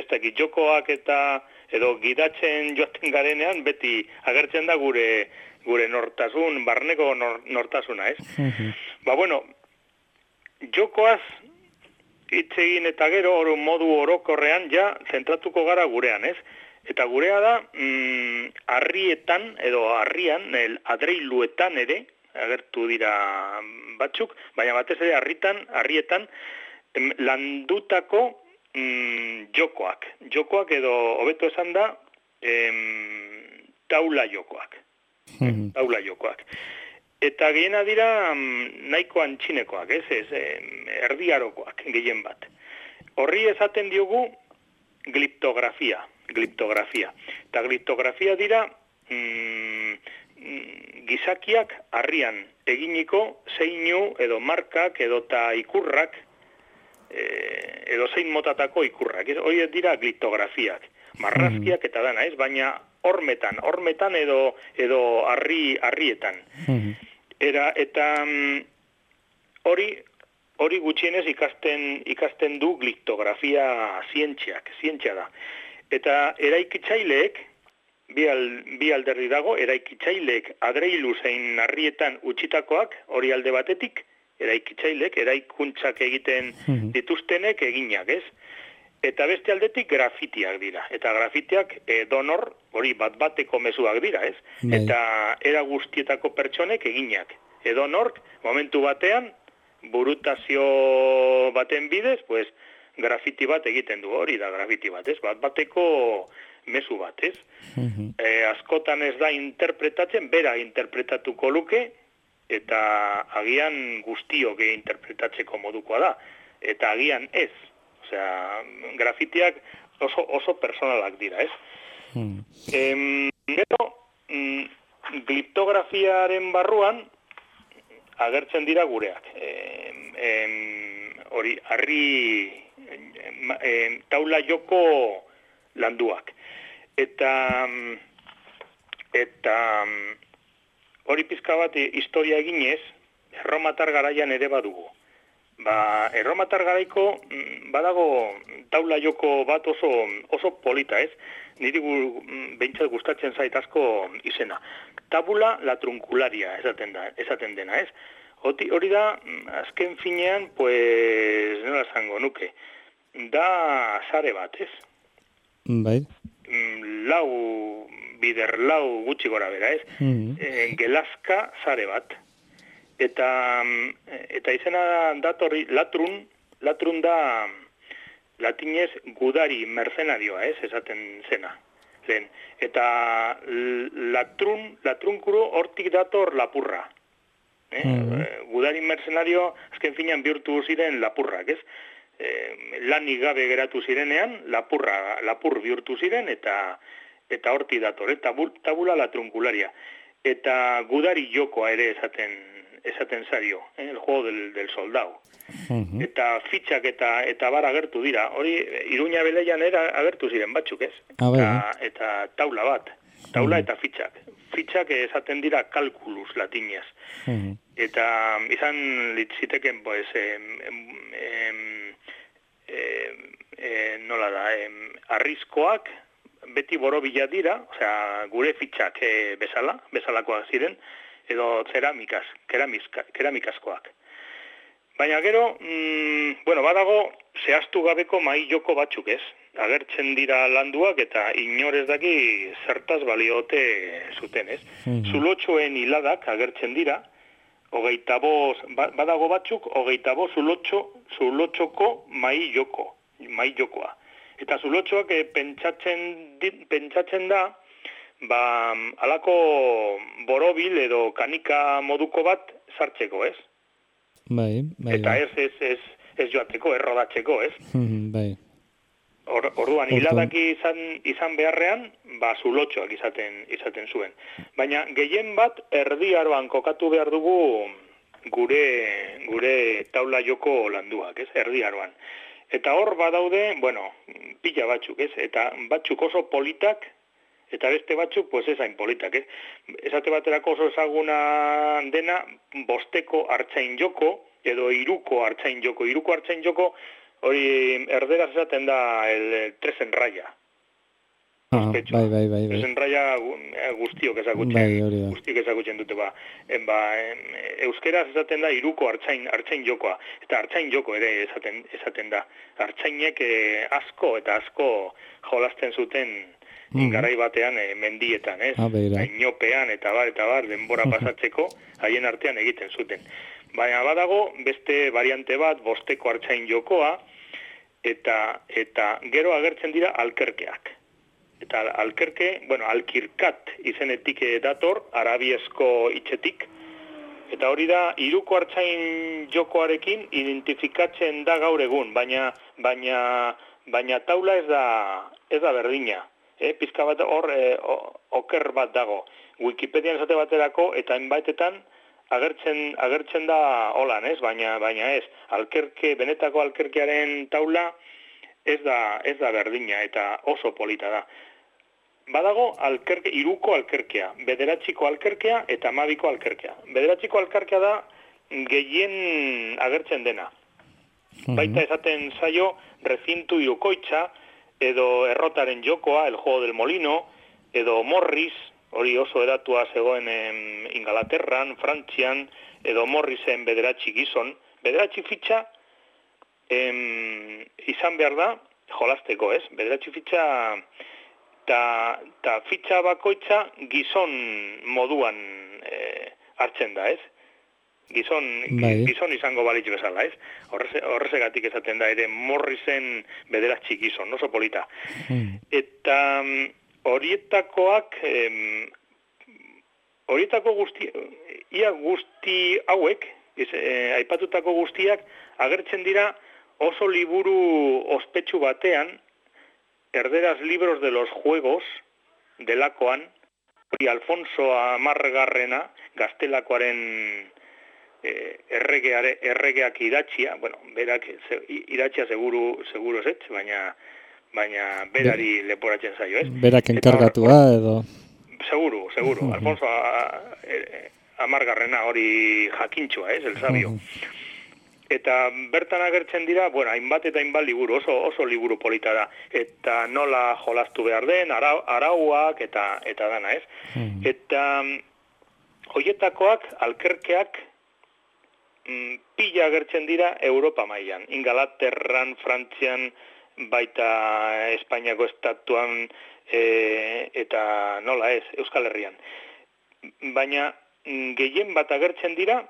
ez dakit, jokoak eta edo gidatzen joaten garenean beti agertzen da gure gure nortasun, barneko nor, nortasuna, ez? Hmm. Ba bueno, jokoaz hitz egin eta gero oro modu orokorrean ja zentratuko gara gurean, ez? Eta gurea da mm, harrietan edo harrian, el adreiluetan ere agertu dira batzuk, baina batez ere harritan, harrietan em, landutako mm, jokoak. Jokoak edo hobeto esan da em, taula jokoak. Mm-hmm. Taula jokoak. Eta gehiena dira nahiko antxinekoak, ez, ez, erdiarokoak gehien bat. Horri esaten diogu gliptografia, gliptografia. Eta gliptografia dira mm, gizakiak harrian eginiko zeinu edo markak edo ta ikurrak, eh, edo zein motatako ikurrak. Hori dira gliptografiak, marrazkiak eta dana, ez, baina hormetan, hormetan edo edo harri harrietan. Era eta hori mm, hori gutxienez ikasten ikasten du gliptografia zientziak, zientzia da. Eta eraikitzaileek bi, al, bi alderdi dago, eraikitzaileek adreilu zein harrietan utzitakoak hori alde batetik, eraikitzaileek eraikuntzak egiten dituztenek eginak, ez? Eta beste aldetik grafitiak dira. Eta grafitiak edonor hori bat bateko mezuak dira, ez? Bai. Eta era guztietako pertsonek eginak. Edonork momentu batean burutazio baten bidez, pues grafiti bat egiten du, hori da grafiti bat, ez? Bat bateko mezu bat, ez? Uh-huh. E, askotan ez da interpretatzen, bera interpretatuko luke, eta agian guztiok interpretatzeko modukoa da. Eta agian ez. Osea, grafitiak oso, oso personalak dira, ez? Hmm. Em, gero, mm, gliptografiaren barruan agertzen dira gureak. Em, em, hori, harri em, taula joko landuak. Eta eta hori pizka bat historia eginez, erromatar garaian ere badugu. Ba, erromatar garaiko badago taula joko bat oso, oso polita, ez? Niri gu, behintzat gustatzen zait asko izena. Tabula la truncularia esaten, da, esaten dena, ez? Hoti, hori da, azken finean, pues, nola zango nuke, da sare bat, ez? Bai. Lau, bider lau gutxi gora bera, ez? Mm-hmm. E, gelazka sare bat. Eta eta izena datorri latrun, latrun da latinez gudari mercenarioa, ez, esaten zena. Lehen. Eta latrun, latrunkuru hortik dator lapurra. Eh? Mm-hmm. Gudari mercenario azken finean bihurtu ziren lapurrak, ez? E, lanik gabe geratu zirenean, lapurra, lapur bihurtu ziren eta eta hortik dator, eta tabula latrunkularia. Eta gudari jokoa ere esaten esaten zario, eh, el juego del, del soldado. Uh-huh. Eta fitxak eta eta bar agertu dira. Hori Iruña Beleian era agertu ziren batzuk, ez? Ah, eta, eta taula bat. Taula uh-huh. eta fitxak. Fitxak esaten dira kalkulus latinez. Uh-huh. Eta izan litziteken, pues, em, em, em, em, nola da, em, arrizkoak beti borobila dira, osea, gure fitxak e, bezala, bezalakoak ziren, edo ceramikaz, keramizka, keramikazkoak. Baina gero, mm, bueno, badago zehaztu gabeko mai joko batzuk, ez? Agertzen dira landuak eta inorez daki zertaz baliote zuten, ez? Mm-hmm. Zulotxoen hiladak agertzen dira, hogeita bost, badago batzuk, hogeita bost zulotxo, zulotxoko mai joko, mai jokoa. Eta zulotxoak eh, pentsatzen, pentsatzen da, ba, alako borobil edo kanika moduko bat sartzeko, ez? Bai, bai. Eta ez, ez, ez, ez joateko, errodatzeko, ez? Bai. Or, orduan, hiladaki izan, izan beharrean, ba, zulotxoak izaten, izaten zuen. Baina, gehien bat, erdi aroan kokatu behar dugu gure, gure taula joko landuak, ez? Erdi aroan. Eta hor badaude, bueno, pila batzuk, ez? Eta batzuk oso politak, eta beste batzuk, pues ez hain politak, ez? Esate baterako oso ezaguna dena, bosteko hartzain joko, edo hiruko hartzain joko. Hiruko hartzain joko, hori erderaz esaten da el, el tres en raya. Ah, bai, bai, bai, bai. Tres en raya guztiok ezagutzen, bai, hori da. Guztiok ezagutzen dute, ba. En, ba en, euskeraz esaten da hiruko hartzain, hartzain jokoa. Eta hartzain joko ere esaten, esaten da. Hartzainek eh, asko eta asko jolasten zuten mm. garai batean eh, mendietan, ez? Ah, Inopean eta bar, eta bar, denbora pasatzeko, haien artean egiten zuten. Baina badago beste variante bat, bosteko hartzain jokoa, eta, eta gero agertzen dira alkerkeak. Eta alkerke, bueno, alkirkat izenetik dator, arabiesko hitzetik, eta hori da, hiruko hartzain jokoarekin identifikatzen da gaur egun, baina, baina, baina taula ez da, ez da berdina. Eh, pizka bat hor eh, oker bat dago. Wikipedian esate baterako eta enbaitetan agertzen agertzen da holan, ez? Baina baina ez. Alkerke, benetako alkerkearen taula ez da ez da berdina eta oso polita da. Badago alkerke, hiruko alkerkea, bederatziko alkerkea eta hamabiko alkerkea. Bederatziko alkerkea da gehien agertzen dena. Mm-hmm. Baita esaten zaio recintu hirukoitza, edo errotaren jokoa, el juego del molino, edo Morris, hori oso edatua zegoen em, Ingalaterran, Frantzian, edo Morrisen bederatzi gizon. Bederatzi fitxa em, izan behar da jolasteko, ez? Bederatzi fitxa eta ta fitxa bakoitza gizon moduan e, hartzen da, ez? Gizon, bai. Gizon izango balitz bezala, ez? Horreze, horrezegatik esaten da ere Morrisen bederatzi gizon, oso polita. Hmm. Eta um, horietakoak, em, horietako guzti, ia guzti hauek, ez, eh, aipatutako guztiak, agertzen dira oso liburu ospetsu batean, erderaz libros de los juegos, delakoan, hori Alfonso Amargarrena, gaztelakoaren Eh, erregeare, erregeak idatxia, bueno, berak idatxia seguru, seguru ez, baina, baina berari Be, leporatzen zaio, ez? Berak enkargatua edo... Seguru, seguru. Uh-huh. Alfonso Amargarrena hori jakintxoa, ez, el sabio. Uh-huh. Eta bertan agertzen dira, bueno, hainbat eta hainbat liburu, oso, oso liburu polita da. Eta nola jolastu behar den, arau, arauak eta, eta dana, ez? Uh-huh. Eta hoietakoak, alkerkeak, pila agertzen dira Europa mailan. Ingalaterran, Frantzian, baita Espainiako estatuan e, eta nola ez, Euskal Herrian. Baina gehien bat agertzen dira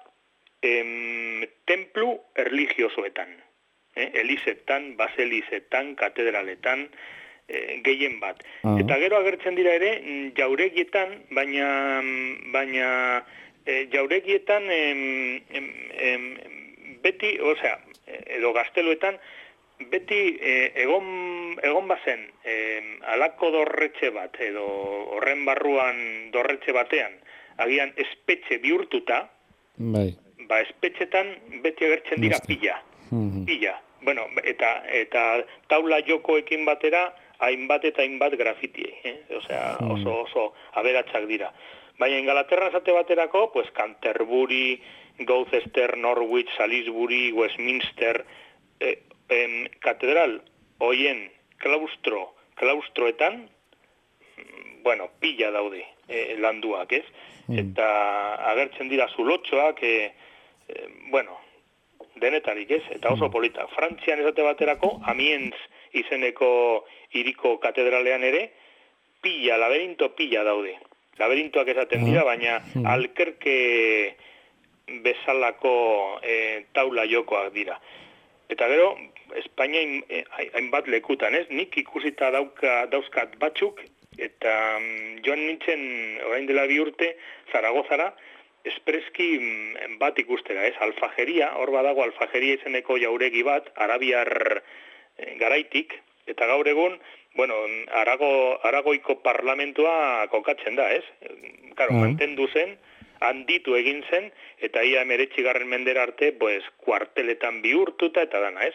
em, templu erligiosoetan. Eh? Elizetan, baselizetan, katedraletan, e, gehien bat. Uh-huh. Eta gero agertzen dira ere jauregietan, baina... baina E, jauregietan em, em, em, beti, osea, edo gazteluetan, beti e, egon, egon bazen e, alako dorretxe bat, edo horren barruan dorretxe batean, agian espetxe bihurtuta, bai. Ba espetxetan beti agertzen dira pila, mm-hmm. pila. Bueno, eta, eta taula jokoekin batera, hainbat eta hainbat grafiti, eh? Osea, oso, oso aberatsak dira. Baina Ingalaterra esate baterako, pues Canterbury, Gloucester, Norwich, Salisbury, Westminster, eh, em, katedral, hoien, klaustro, klaustroetan, bueno, pila daude e, landuak, ez? Mm. Eta agertzen dira zulotxoak, e, e, bueno, denetarik, ez? Eta oso polita. Frantzian esate baterako, Amiens izeneko hiriko katedralean ere, pila, laberinto pila daude. Laberintoak esaten dira, baina alkerke bezalako e, taula jokoak dira. Eta gero, Espainia hainbat lekutan, ez? Nik ikusita dauka, dauzkat batzuk, eta um, joan nintzen, orain dela bi urte, Zaragozara, espreski bat ikustera, ez? Alfajeria, hor badago alfajeria izeneko jauregi bat, arabiar e, garaitik, eta gaur egun, bueno, Arago, Aragoiko parlamentua kokatzen da, ez? Karo, mm. mantendu zen, handitu egin zen, eta ia emeretzigarren mendera arte, pues, kuarteletan bihurtuta eta dana, ez?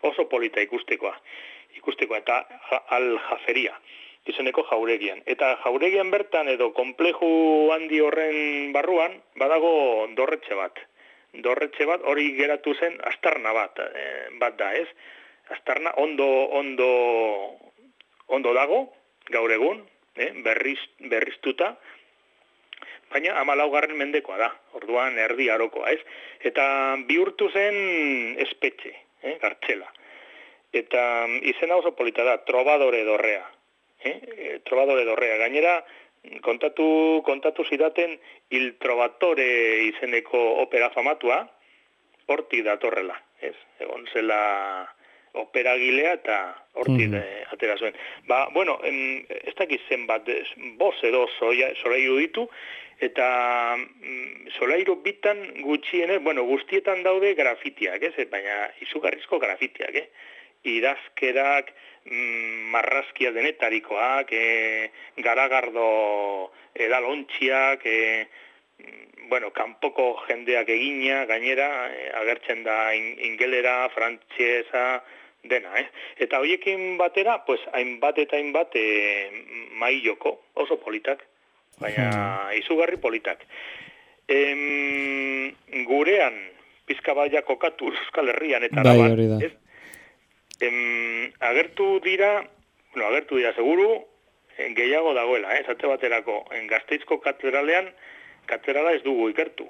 Oso polita ikustekoa. Ikustekoa, eta aljaferia, izeneko jauregian. Eta jauregian bertan, edo konpleju handi horren barruan, badago dorretxe bat. Dorretxe bat, hori geratu zen, astarna bat, eh, bat da, ez? Astarna ondo, ondo, ondo dago, gaur egun, eh? Berriz, berriztuta, baina hamalaugarren mendekoa da, orduan erdi arokoa, ez? Eta bihurtu zen espetxe, eh? Kartxela. Eta izena oso polita da, Trovadore dorrea. Eh? Trovadore dorrea. Gainera, kontatu, kontatu zidaten Il Trovatore izeneko opera famatua, hortik datorrela, ez? Egon zela operagilea eta hortik mm. atera zuen. Ba, bueno, em, ez dakiz zenbat, boz edo solairu ditu, eta mm, solairu bitan gutxienez, bueno, guztietan daude grafitiak, ez? Baina izugarrizko grafitiak, eh? Idazkerak, mm, marrazkia denetarikoak, e, garagardo edalontxiak, e, bueno, kanpoko jendeak egina, gainera, e, agertzen da in, ingelera, frantxeza, dena, eh? Eta horiekin batera, pues, hainbat eta hainbat e, mailoko, oso politak, baina hmm. izugarri politak. Em, gurean, pizka baia kokatu Euskal Herrian, eta bai, araban, ez? Em, agertu dira, bueno, agertu dira seguru, en, gehiago dagoela, eh? Zate baterako, en Gasteizko katedralean, katedrala ez dugu ikertu,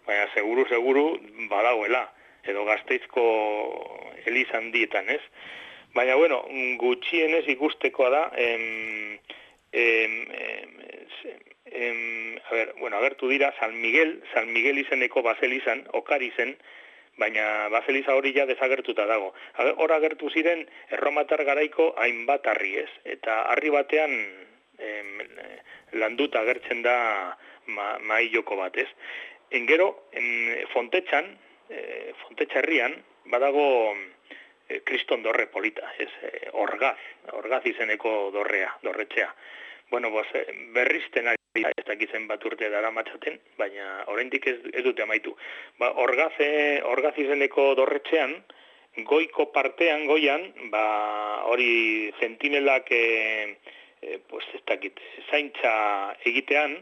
baina seguru, seguru badagoela, edo Gasteizko elizan dietan, ez? Baina, bueno, gutxienez ikustekoa da, em, em, em, em, a ver, bueno, agertu dira, San Miguel, San Miguel izeneko baselizan, okari zen, baina baseliza hori ja desagertuta dago. Hor agertu ziren erromatar garaiko hainbat harri, ez? Eta harri batean em, landuta agertzen da ma, mailoko bat, ez? Engero, en Fontetxan, e, Fontetxa herrian, badago e, kriston dorre polita, ez? E, orgaz, orgaz izeneko dorrea, dorretxea. Bueno, pues, berrizten ari ez dakitzen bat urte dara matxaten, baina oraindik ez, ez dute amaitu. Ba, orgaz, orgaz izeneko dorretxean, goiko partean, goian, ba, hori zentinelak, e, e, pues, ez dakit, zaintza egitean,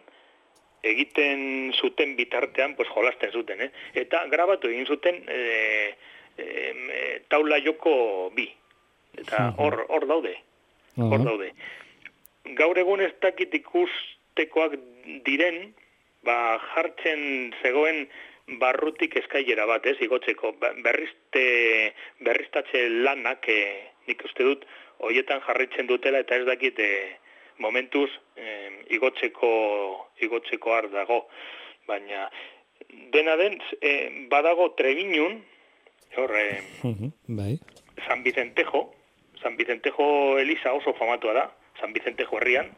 egiten zuten bitartean, pues, jolasten zuten, eh? Eta grabatu egin zuten e, e, taula joko bi. Eta hor, hor daude, hor daude. Gaur egun ez dakit ikustekoak diren, ba, jartzen zegoen barrutik eskailera bat, ez, igotzeko, berrizte, berriztatze lanak, e, nik uste dut, hoietan jarritzen dutela, eta ez dakit, e, momentuz, e, igotzeko, igotzeko har dago, baina, dena den, e, badago Trebiñun, hor, e, bai. San Vicentejo, San Vicentejo Eliza oso famatua da, San Vicentejo herrian,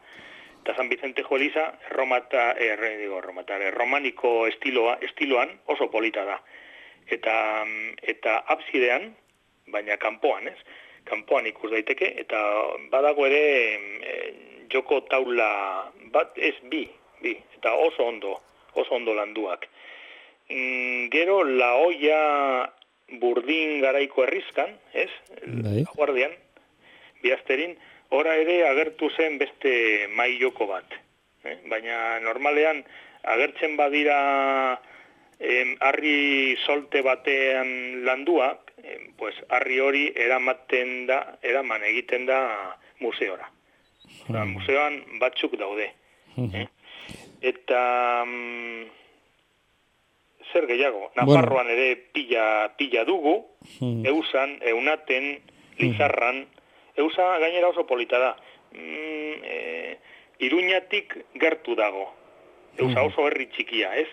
eta San Vicentejo Eliza erromata, erre, digo, erromata, erromaniko estiloa, estiloan oso polita da. Eta, eta absidean, baina kanpoan, ez? Kanpoan ikus daiteke, eta badago ere e, joko taula bat, ez bi, bi, eta oso ondo, oso ondo landuak. Mm, gero, La Hoya Burdin garaiko herrizkan, ez? Bai. Guardian, Biazterin, ora ere agertu zen beste mailoko bat. Eh? Baina normalean agertzen badira em, harri solte batean landuak, em, pues harri hori eramaten da, eraman egiten da museora. Mm. Museoan batzuk daude. Mm. Eh? Eta mm, zer gehiago, Nafarroan bueno. ere pila, pila dugu, mm. Eusan, Eunaten, Lizarran, mm. Eusa gainera oso polita da. Mm, e, Iruñatik gertu dago. Eusa oso herri txikia, ez?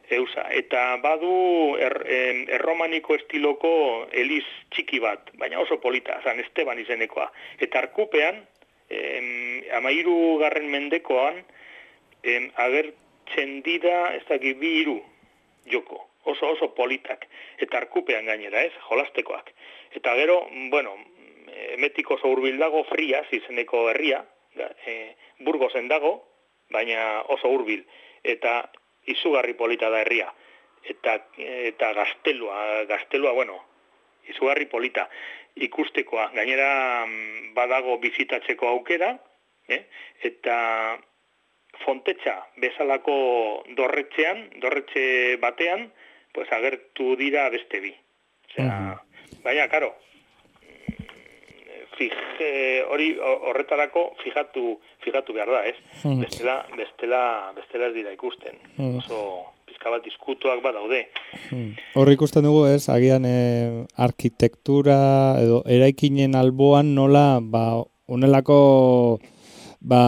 Eusa, eta badu er, er, erromaniko estiloko eliz txiki bat, baina oso polita, San Esteban izenekoa. Eta Arkupean, em, amairu garren mendekoan, em, agertzen dira, ez dakit bi hiru joko, oso oso politak. Eta Arkupean gainera, ez, jolastekoak. Eta gero, bueno, emetik oso hurbil dago, Frias izeneko herria, e, Burgosen dago, baina oso hurbil. Eta izugarri polita da herria. Eta, eta gaztelua, gaztelua, bueno, izugarri polita. Ikustekoa, gainera badago bizitatzeko aukera, eh? Eta Fontetxa bezalako dorretxean, dorretxe batean, pues agertu dira beste bi. Osea, uh-huh. Baina, karo, Fije, hori horretarako fijatu fijatu behar da, ez? Hmm. Bestela, bestela, bestela ez dira ikusten. Hmm. Oso pizka bat diskutuak badaude. Hmm. Hor ikusten dugu, ez? Agian eh, arkitektura edo eraikinen alboan nola, ba, honelako, ba,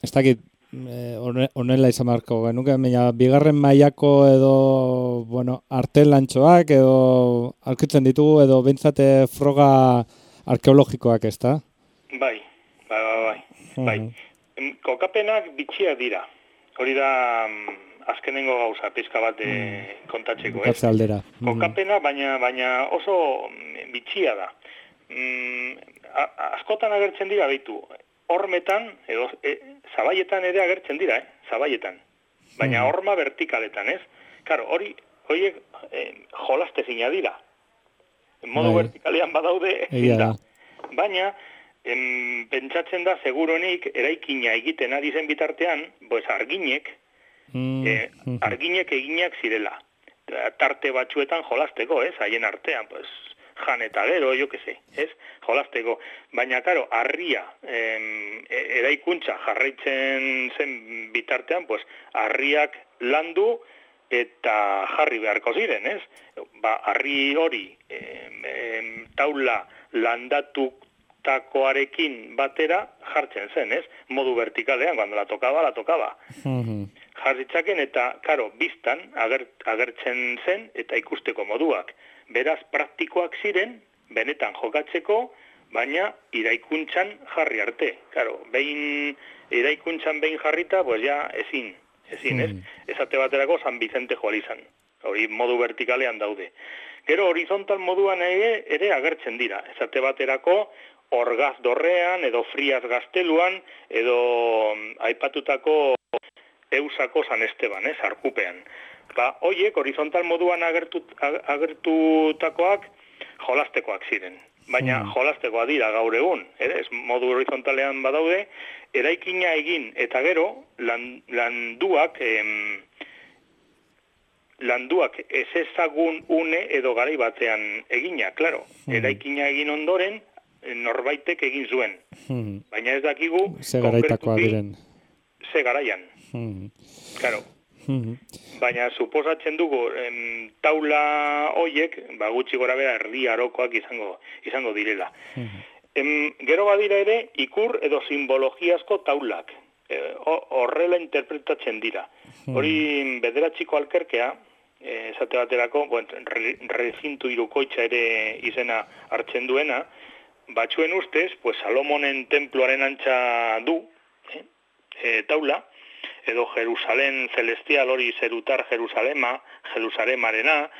ez dakit, honela izan beharko genuke, baina bigarren mailako edo, bueno, artelantxoak edo aurkitzen ditugu edo behintzate froga arkeologikoak, ez da? Bai, bai, bai, bai. Uh-huh. bai. Kokapenak bitxiak dira. Hori da um, azkenengo gauza, pizka bat uh-huh. kontatzeko, ez? Aldera. Uh-huh. Kokapena, baina, baina oso bitxia da. Mm, askotan agertzen dira, beitu, hormetan, edo, e, zabaietan ere agertzen dira, eh? Zabaietan. Baina uh-huh. horma vertikaletan, ez? Karo, hori, horiek eh, jolastezina dira. Modu bai. Vertikalean badaude, da. Baina, em, pentsatzen da, seguronik, eraikina egiten ari zen bitartean, pues arginek, mm. eh, arginek eginak zirela. Tarte batzuetan jolasteko, ez? Haien artean, pues, jan eta gero, jo que se, ez? Jolasteko. Baina, karo, harria, em, eraikuntza jarraitzen zen bitartean, pues, harriak landu, eta jarri beharko ziren, ez? Ba, harri hori em, em, taula landatutakoarekin batera jartzen zen, ez? Modu vertikalean, cuando la tokaba, la tokaba. Uh-huh. Jarritzaken eta, karo, biztan ager, agertzen zen eta ikusteko moduak. Beraz, praktikoak ziren, benetan jokatzeko, baina iraikuntzan jarri arte. Karo, behin iraikuntzan behin jarrita, pues ja, ezin. Ezin, ez? Esate baterako San Vicente joalizan. Hori modu vertikalean daude. Gero horizontal moduan ere, ere agertzen dira. Esate baterako Orgaz dorrean, edo Frias gazteluan, edo aipatutako Eusako San Esteban, ez? Arkupean. Ba, hoiek horizontal moduan agertut, agertutakoak jolastekoak ziren. Baina mm. jolastekoa dira gaur egun, ere? Modu horizontalean badaude, eraikina egin eta gero lan, landuak em, landuak ez ezagun une edo garai batean egina, claro. Mm. Eraikina egin ondoren norbaitek egin zuen. Mm. Baina ez dakigu ze garaitakoa diren. Ze garaian. Mm. Claro. Mm-hmm. Baina suposatzen dugu em, taula hoiek, ba gutxi gora bera erdi arokoak izango izango direla. Mm-hmm. Em, gero badira ere ikur edo simbologiazko taulak. E, horrela interpretatzen dira. Mm-hmm. Hori bederatziko alkerkea, e, esate baterako, bueno, re, rezintu irukoitza ere izena hartzen duena, batzuen ustez, pues Salomonen temploaren antza du, eh, e, taula, edo Jerusalem celestial hori zerutar Jerusalema, Jerusalemarena,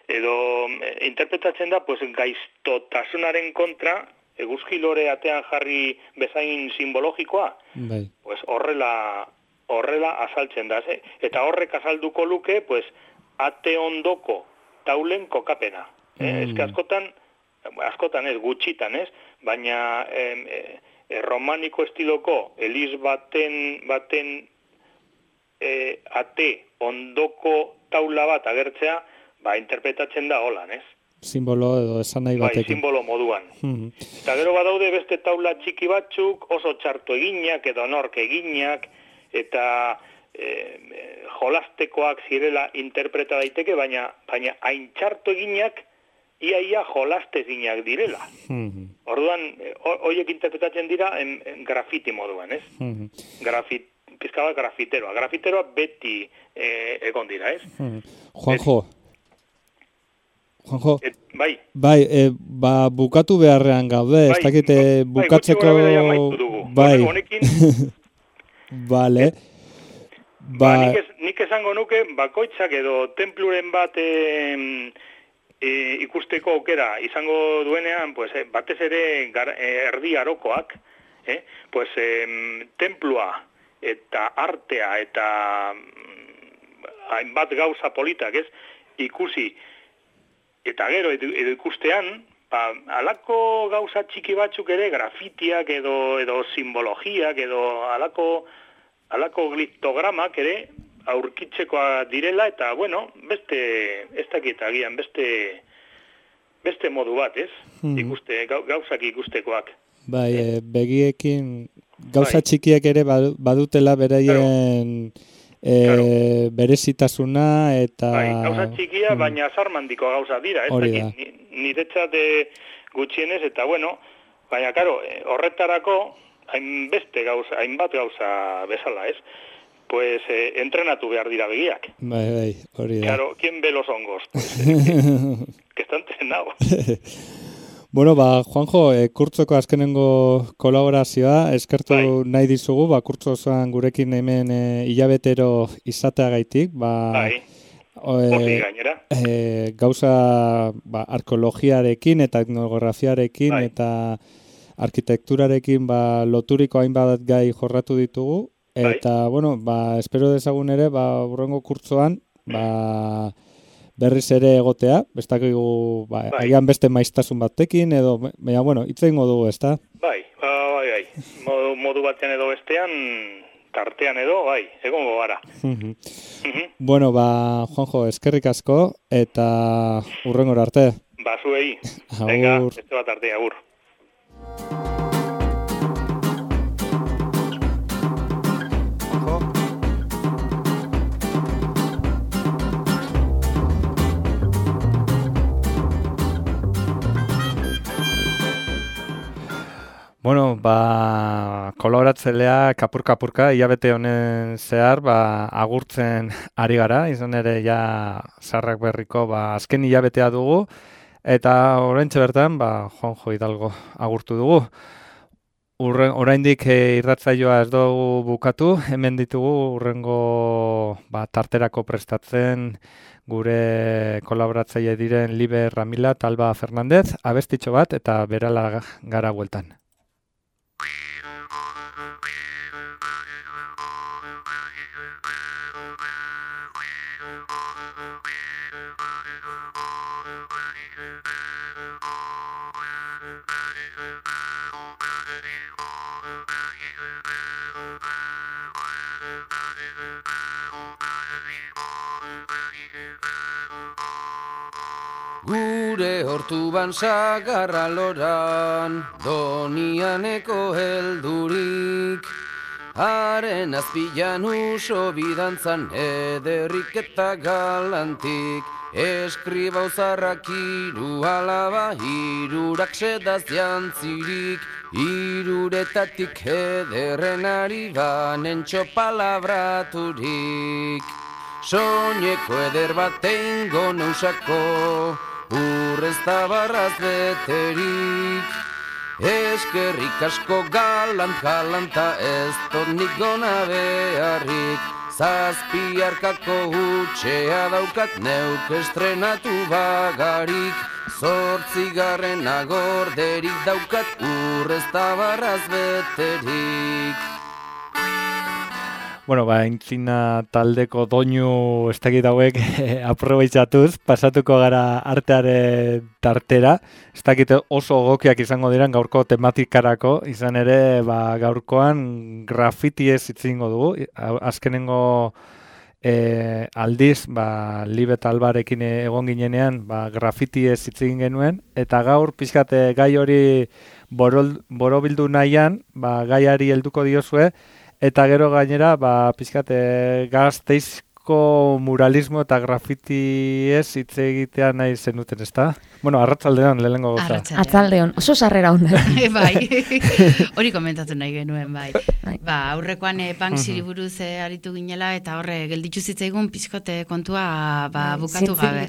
edo e, interpretatzen da, pues, gaiztotasunaren kontra, eguzki lore atean jarri bezain simbologikoa, bai. Pues, horrela, horrela azaltzen da, ze? Eta horrek azalduko luke, pues, ate ondoko taulen kokapena. Mm. Eh? Ez que askotan, askotan ez, gutxitan ez, baina eh, eh, romaniko estiloko eliz baten, baten E, ate ondoko taula bat agertzea, ba, interpretatzen da holan, ez? simbolo edo esan nahi batekin. Bai, simbolo moduan. Mm. Eta gero badaude beste taula txiki batzuk, oso txarto eginak edo nork eginak, eta e, jolastekoak zirela interpreta daiteke, baina baina hain txarto eginak, iaia jolastezinak direla. Mm-hmm. Orduan, horiek interpretatzen dira en, en grafiti moduan, ez? Mm-hmm. Grafit, pizkaba grafiteroa. Grafiteroa beti eh, egon dira, ez? Mm-hmm. Juanjo, Juanjo, Et, bai, bai e, ba, bukatu beharrean gaude, bai, ez dakite bukatzeko... Bai, honekin... Vale. Ba, nik, ez, nik esango nuke, bakoitzak edo templuren bat... Eh, E, ikusteko aukera izango duenean, pues, eh, batez ere gar, eh, erdi arokoak, eh, pues, eh, templua eta artea eta hainbat gauza politak, ez, ikusi, eta gero edo, edo ikustean, ba, alako gauza txiki batzuk ere, grafitiak edo, edo simbologiak edo alako, alako gliptogramak ere, aurkitzekoa direla, eta, bueno, beste, ez dakit agian, beste, beste modu bat, ez? Hmm. Ikuste, gauzak ikustekoak. Bai, e, begiekin, gauza bai. Txikiak ere badutela beraien claro. e, claro. berezitasuna, eta... Bai, gauza txikia, hmm. baina zarmandiko gauza dira, ez dakit, niretzat gutxienez, eta, bueno, baina, karo, horretarako, hainbeste gauza, hainbat gauza bezala, ez? Pues eh, entrenatu behar dira begiak. Bai, bai, hori da. Claro, ¿quién ve los hongos? Pues, eh, que está entrenado. Bueno, ba, Juanjo, e, kurtzoko azkenengo kolaborazioa, eskertu bai. Nahi dizugu, ba, kurtzo osoan gurekin hemen e, hilabetero izateagaitik, ba... Bai, hori gainera. E, gauza, ba, arkeologiarekin eta etnografiarekin bai. Eta arkitekturarekin, ba, loturiko hainbat gai jorratu ditugu, eta, bai. Bueno, ba, espero dezagun ere, ba, urrengo kurtzoan, ba, berriz ere egotea, bestakigu, ba, bai. Agian beste maiztasun batekin, edo, baina, bueno, itzengo dugu, ezta? Bai, bai, bai, modu, modu batean edo bestean, tartean edo, bai, egongo gara. Uh-huh. Uh-huh. Bueno, ba, Juanjo, eskerrik asko, eta urrengora arte. Ba, zuei. Venga, beste bat arte, agur. Bueno, ba, kolaboratzailea kapur-kapurka, hilabete honen zehar, ba, agurtzen ari gara, izan ere ja Zaharrak Berriko ba, azken hilabetea dugu, eta oraintxe bertan, ba, Juanjo Hidalgo agurtu dugu. Urre, oraindik e, irratzaioa ez dugu bukatu, hemen ditugu urrengo ba, tarterako prestatzen gure kolaboratzaile diren Liber Ramila eta Alba Fernandez, abestitxo bat eta berala gara bueltan. Gure hortu ban sagarra loran, donianeko heldurik, haren azpilan uso bidantzan ederrik eta galantik, eskribau zarrak hiru alaba, hirurak sedaz jantzirik, hiruretatik ederren ari banen txopalabraturik. Soñeko eder batengo neusako, urrez tabarraz beterik. Eskerrik asko galant galanta ez dut nik gona beharrik. Zazpiarkako hutxea daukat neuk estrenatu bagarik. Zortzigarren agorderik daukat urrez tabarraz beterik. Bueno, ba, entzina taldeko doinu ez dakit hauek aprobetxatuz, pasatuko gara artearen tartera. Ez dakit oso gokiak izango diran gaurko tematikarako, izan ere ba, gaurkoan grafiti ez itzingo dugu. Azkenengo E, aldiz, ba, Libe eta Albarekin egon ginenean, ba, grafiti ez hitz egin genuen, eta gaur pixkat gai hori borol, borobildu nahian, ba, gaiari helduko diozue, eta gero gainera, ba, pixkat Gasteizko muralismo eta grafiti ez hitz egitea nahi zenuten, ezta? Bueno, arratsaldean lehenengo goza. Arratsaldean, oso sarrera onda. Bai, hori komentatu nahi genuen, bai. Ba, aurrekoan e, Banksiri buruz e, aritu ginela, eta horre gelditzu zitzaigun pizkote kontua ba, bukatu gabe.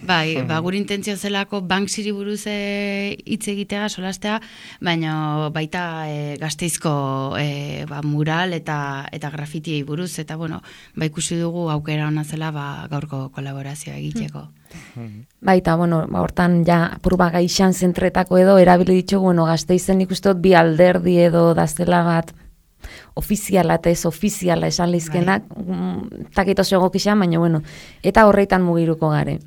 Bai, ba, gure intentzio zelako Banksiri buruz e, hitz egitea, solastea, baina baita e, Gasteizko e, ba, mural eta eta grafitiei buruz, eta bueno, ba, ikusi dugu aukera ona zela ba, gaurko kolaborazioa egiteko. Baita, bueno, ba, hortan ja apurba gaixan zentretako edo erabili ditugu, bueno, Gasteizen ikustot bi alderdi edo dazela bat ofiziala eta ez ofiziala esan lizkenak, bai. Takito zego kixan, baina bueno, eta horreitan mugiruko gare.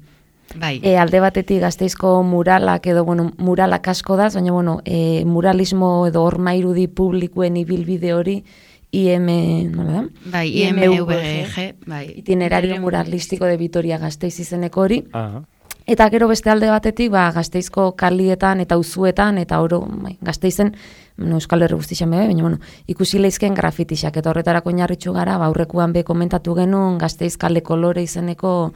Bai. E, alde batetik Gasteizko muralak edo, bueno, muralak asko daz, baina bueno, e, muralismo edo ormairudi publikoen ibilbide hori I M, nola da? Bai, I M V G, bai. Itinerario muralistiko de Vitoria Gasteiz izeneko hori. Aha. Eta gero beste alde batetik, ba, Gasteizko kalietan eta auzuetan eta oro, bai, Gasteizen, no, Euskal Herri guztixan bebe, baina bueno, ikusi leizken grafitixak, eta horretarako oinarritxu gara, ba, aurrekuan be komentatu genuen Gasteiz kale kolore izeneko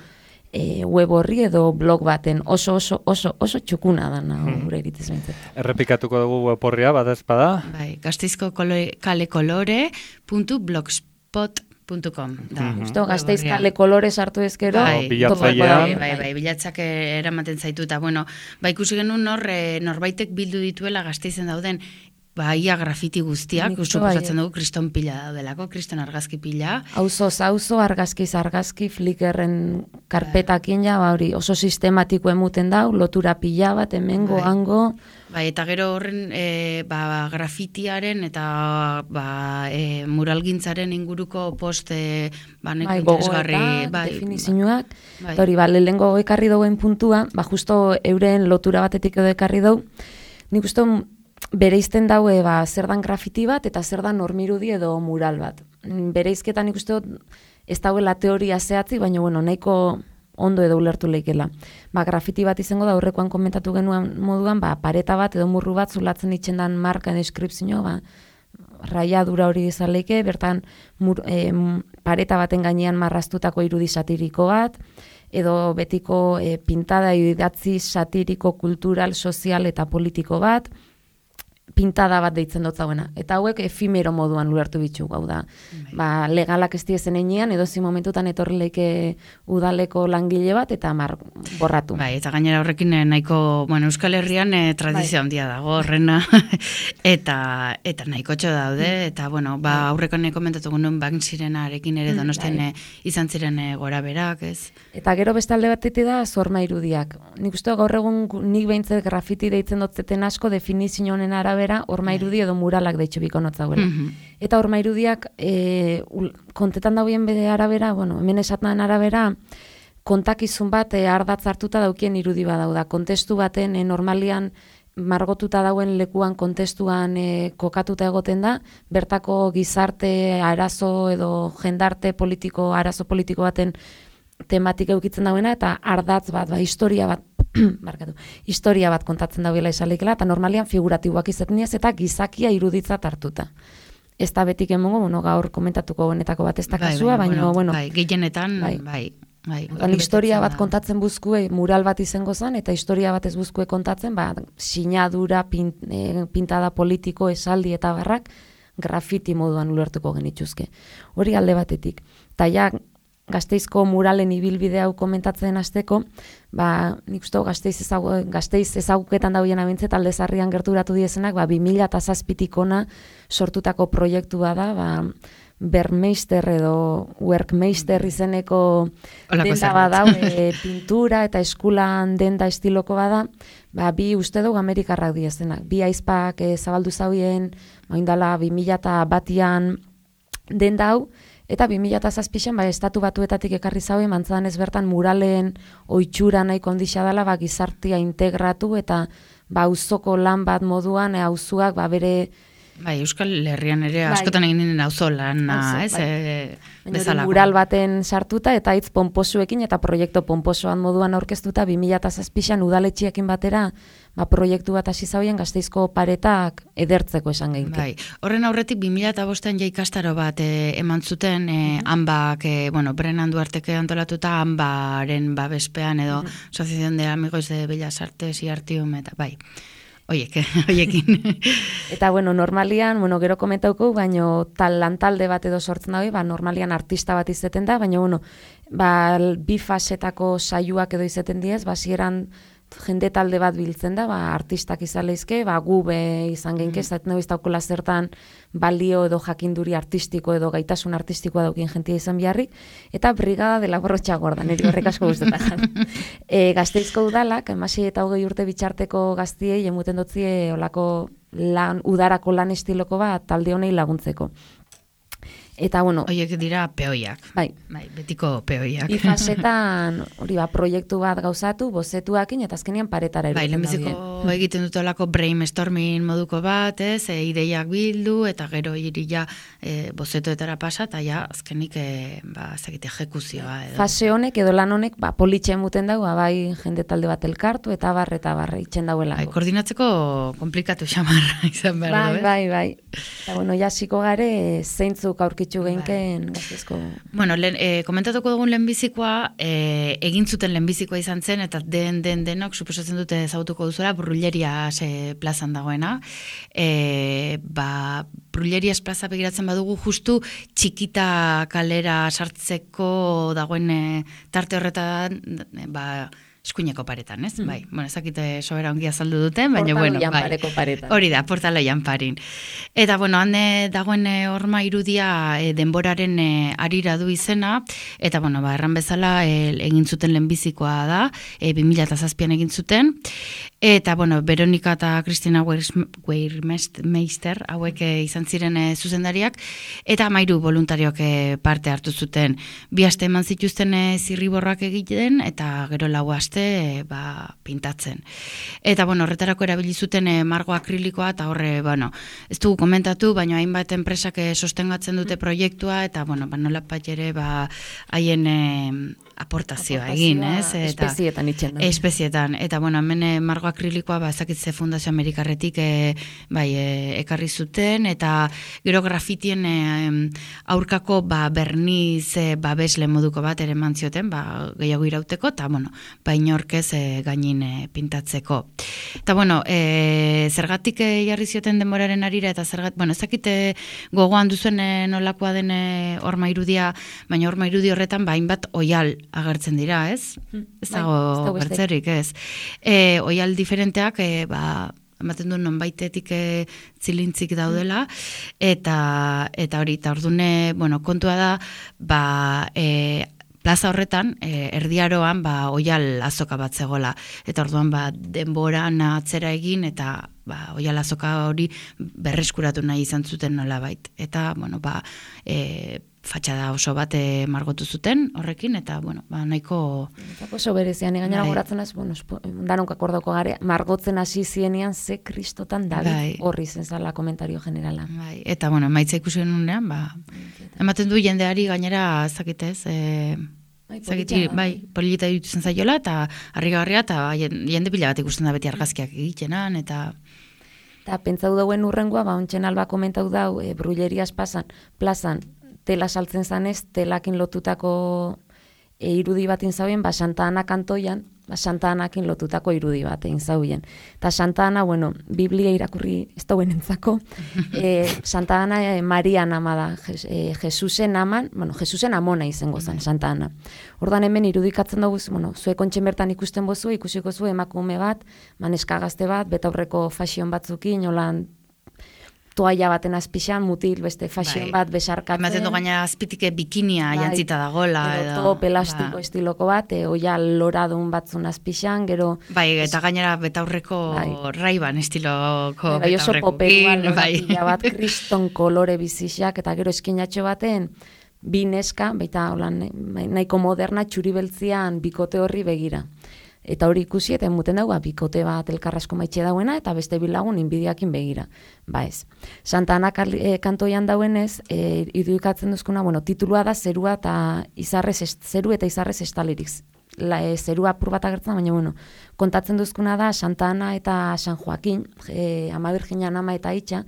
e, web horri edo blog baten oso oso oso oso txukuna da na hmm. gure iritziz behintzat. Errepikatuko dugu web horria, bada espada? Bai, Gasteizko kale kolore puntu blogspot puntu com da. Justo mm-hmm. Gasteiz kale kolore sartu ezkero. Bai, bilatzailean. Bai, bai, bai, bilatzak eramaten zaitu, eta bueno, ba, ikusi genuen nor, norbaitek bildu dituela Gasteizen dauden ba, ia grafiti guztiak, suposatzen dugu kriston pila daudelako, kriston argazki pila. Auzo, auzo, argazkiz argazki, Flickrren karpetakin ja, ba, hori oso sistematiko emuten dau, lotura pila bat, hemengo, bai. Hango. Bai, eta gero horren e, ba, grafitiaren eta ba, e, muralgintzaren inguruko post e, ba, neko bai, interesgarri. Bai, definizioak. Bai. Hori, ba, lehengo ekarri dauen puntua, ba, justo euren lotura batetik edo ekarri dau, nik uste bereizten daue ba, zer dan grafiti bat eta zer dan normirudi edo mural bat. Bereizketan ikuste dut ez dauela teoria zehatzi, baina bueno, nahiko ondo edo ulertu leikela. Ba, grafiti bat izango da aurrekoan komentatu genuen moduan, ba, pareta bat edo murru bat zulatzen itxendan marka deskripzio, ba, raiadura hori izan leike, bertan mur, e, pareta baten gainean marraztutako irudi satiriko bat, edo betiko e, pintada idatzi satiriko, kultural, sozial eta politiko bat, pintada bat deitzen dut zauena. Eta hauek efimero moduan ulertu bitxu, hau da. Ba, legalak ez diezen enean, edo zi momentutan etorri leike udaleko langile bat, eta mar borratu. Bai, eta gainera horrekin nahiko, bueno, Euskal Herrian eh, tradizio handia dago horrena, eta eta nahiko txo daude, eta bueno, ba, aurreko neko komentatu genuen Banksirenarekin ere Donostian bai. Izan ziren e, gora berak, ez? Eta gero beste alde batetik da zorma irudiak. Nik uste gaur egun nik behintzat grafiti deitzen dotzeten asko definizio honen arabera horma irudi edo muralak deitxo biko notzauela. Mm-hmm. Eta horma irudiak e, kontetan dauen bede arabera, bueno, hemen esatnan arabera, kontakizun bat e, ardatz hartuta daukien irudi badau da. Kontestu baten e, normalian margotuta dauen lekuan kontestuan e, kokatuta egoten da, bertako gizarte arazo edo jendarte politiko, arazo politiko baten tematik eukitzen dauena, eta ardatz bat, ba, historia bat, barkatu, historia bat kontatzen dauela esalikela, eta normalian figuratiboak izetniaz, eta gizakia iruditzat hartuta. Ez da betik emongo, bueno, gaur komentatuko honetako bat ez da kasua, bai, baina, bueno, bai, gehienetan, bai, bai. Bai, historia bat kontatzen buzkue, mural bat izango zen, eta historia bat ez buzkue kontatzen, ba, sinadura, pint, e, pintada politiko, esaldi eta barrak, grafiti moduan ulertuko genituzke. Hori alde batetik. Ta ja, Gasteizko muralen ibilbide hau komentatzen hasteko, ba, nik uste Gasteiz ezagu, Gasteiz ezaguketan dauen abintzet alde zarrian gerturatu diezenak, ba, bi mila zazpitik ona sortutako proiektua da, ba, Bermeister edo Workmeister izeneko denda badau, e, pintura eta eskulan denda estiloko bada, ba, bi uste dugu Amerikarrak diezenak. Bi aizpak e, zabaldu zauen, oindala bi mila batian denda hau, eta bi mila zazpian ba, estatu batuetatik ekarri zauen, mantzadan ez bertan muralen oitxura nahi kondisa dela, ba, gizartia integratu, eta ba, auzoko lan bat moduan, e, auzuak ba, bere Bai, Euskal Herrian ere askotan egin ninen auzolan, ez? Bezalako. Mural baten sartuta eta hitz ponposuekin eta proiektu ponposoan moduan aurkeztuta bi mila zazpian udaletxeekin batera ba, proiektu bat hasi zauen Gasteizko paretak edertzeko esan geinke. Bai, horren aurretik bi mila bostean ja ikastaro bat e, eman zuten, e, hanbak, e, bueno, Brenan Duarteke antolatuta hanbaren babespean edo uh -huh. Asociación de Amigos de Bellas Artes y Artium, eta bai. Oiek, oiekin. Eta, bueno, normalian, bueno, gero komentauko, baino tal lantalde bat edo sortzen dago, ba, normalian artista bat izeten da, baina, bueno, ba, bi fasetako saioak edo izeten diez, ba, zieran jende talde bat biltzen da, ba, artistak izan lehizke, ba, gube izan genke, ez mm. ez daukula zertan balio edo jakinduri artistiko edo gaitasun artistikoa daukin jentia izan biharrik, eta brigada de la borrotxa gorda, niri horrek asko guztetan. e, Gasteizko udalak, emasi eta hogei urte bitxarteko gaztiei, emuten dutzie olako lan, udarako lan estiloko bat talde honei laguntzeko. Eta, bueno... Oiek dira peoiak. Bai. Bai, betiko peoiak. Ifasetan, hori ba, proiektu bat gauzatu, bozetuakin, eta azkenean paretara erutzen. Bai, lehenbiziko egiten dutolako brainstorming moduko bat, ez, e, ideiak bildu, eta gero iria e, bozetuetara pasa, eta ja, azkenik, e, ba, ezagite, ejekuzioa. Edo. Fase honek, edo lan honek, ba, politxe muten dago, bai, jende talde bat elkartu, eta barre, eta barre, itxen dauela. Bai, koordinatzeko komplikatu xamarra izan behar. Bai, bai, bai. Eta, bueno, jasiko gare, zeintzuk aurki Genken, bai. Bueno, lehen, e, komentatuko dugun lehenbizikoa, e, egin zuten lehenbizikoa izan zen, eta den, den, denok, suposatzen dute ezagutuko duzuela, Brullerias e, plazan dagoena. E, ba, Brullerias plaza begiratzen badugu, justu txikita kalera sartzeko dagoen e, tarte horretan, ba, eskuineko paretan, ez? Mm. Bai, bueno, ezakite sobera ongi azaldu duten, baina bueno, bai. Paretan. Hori da, portalo janparin. Eta bueno, hande dagoen horma irudia e, denboraren e, arira du izena, eta bueno, ba, erran bezala e, egin zuten lehenbizikoa da, e, bi mila zazpian egin zuten, eta bueno, Veronika eta Kristina Weirmeister hauek e, izan ziren e, zuzendariak, eta amairu voluntariok e, parte hartu zuten. Bi aste eman zituzten e, zirriborrak egiten, eta gero lau aste ba, pintatzen. Eta, bueno, horretarako erabili zuten e, margo akrilikoa, eta horre, bueno, ez dugu komentatu, baina hainbat enpresak e, sostengatzen dute proiektua, eta, bueno, ba, nola pat ere, ba, haien e, aportazioa egin, ez? Eta, espezietan itxen da. Espezietan, eta, bueno, hemen e, margo akrilikoa, ba, ezakitze Fundazio Amerikarretik e, bai, e, ekarri zuten, eta gero grafitien e, aurkako, ba, berniz, e, ba, besle moduko bat ere mantzioten, ba, gehiago irauteko, eta, bueno, ba, inorkez e, gainin e, pintatzeko. Eta, bueno, e, zergatik e, jarri zioten denboraren arira, eta zergatik, bueno, ezakite gogoan duzuen e, nolakoa den e, horma irudia, baina horma irudi horretan, ba, hainbat oial agertzen dira, ez? Ez dago bertzerik, ez? E, oial diferenteak, e, ba, ematen du nonbaitetik e, zilintzik daudela, eta eta hori, eta ordune, bueno, kontua da, ba, e, plaza horretan, e, erdiaroan, ba, oial azoka bat zegoela. Eta orduan, ba, denboran atzera egin, eta ba, oial azoka hori berreskuratu nahi izan zuten nolabait. Eta, bueno, ba, e, fatxada oso bat e, margotu zuten horrekin, eta, bueno, ba, nahiko... Oso berezian, gainera bai. Goratzen ez, bueno, danonkak ordoko gare, margotzen hasi zienean ze kristotan David bai. Horri zen zala komentario generala. Bai. Eta, bueno, maitza ikusi nunean, ba, ematen du jendeari gainera, ezakitez, e, Bai, polita, bai, polita dituzen zaiola, eta harrigarria, eta jende pila bat ikusten da beti argazkiak egitenan, eta... Eta pentsau dauen urrengoa, ba, ontsen alba komentau dau, e, Brullerias plazan, plazan, tela saltzen zanez, telakin lotutako e, irudi bat inzauen, ba, Santa Ana kantoian, ba, Santa Anakin lotutako irudi bat egin zauien. Eta Santa Ana, bueno, Biblia irakurri ez dauen entzako, e, Santa Ana e, Marian ama da, jes, e, Jesusen aman, bueno, Jesusen amona izango zen, Santa Ana. Ordan hemen irudikatzen dugu, bueno, zuek ontsen bertan ikusten bozu, ikusiko zu emakume bat, maneska gazte bat, betaurreko fashion batzukin, holan, toaia baten azpixan, mutil, beste fashion bai. Bat besarkatzen. Ematen du gaina azpitike bikinia bai. Jantzita dagoela. Edo top elastiko ba. Estiloko bat, e, oia loradun batzun azpixan, gero... Bai, eta gainera betaurreko bai. Raiban estiloko bai, betaurrekokin. Bai, bat kriston kolore bizixak, eta gero eskinatxo baten, bi neska, baita holan, nahiko moderna, txuri beltzian, bikote horri begira. Eta hori ikusi, eta emuten dago, bikote bat elkarrasko maitxe dauena, eta beste bilagun inbidiakin begira. Ba ez. Santa Ana e, kantoian dauenez, e, irudikatzen duzkuna, bueno, titulua da zerua eta izarrez, zeru eta izarrez estalirik. La, e, zerua apur bat agertzen, baina bueno, kontatzen duzkuna da Santa Ana eta San Joaquin, e, Ama Virginan ama eta itxa,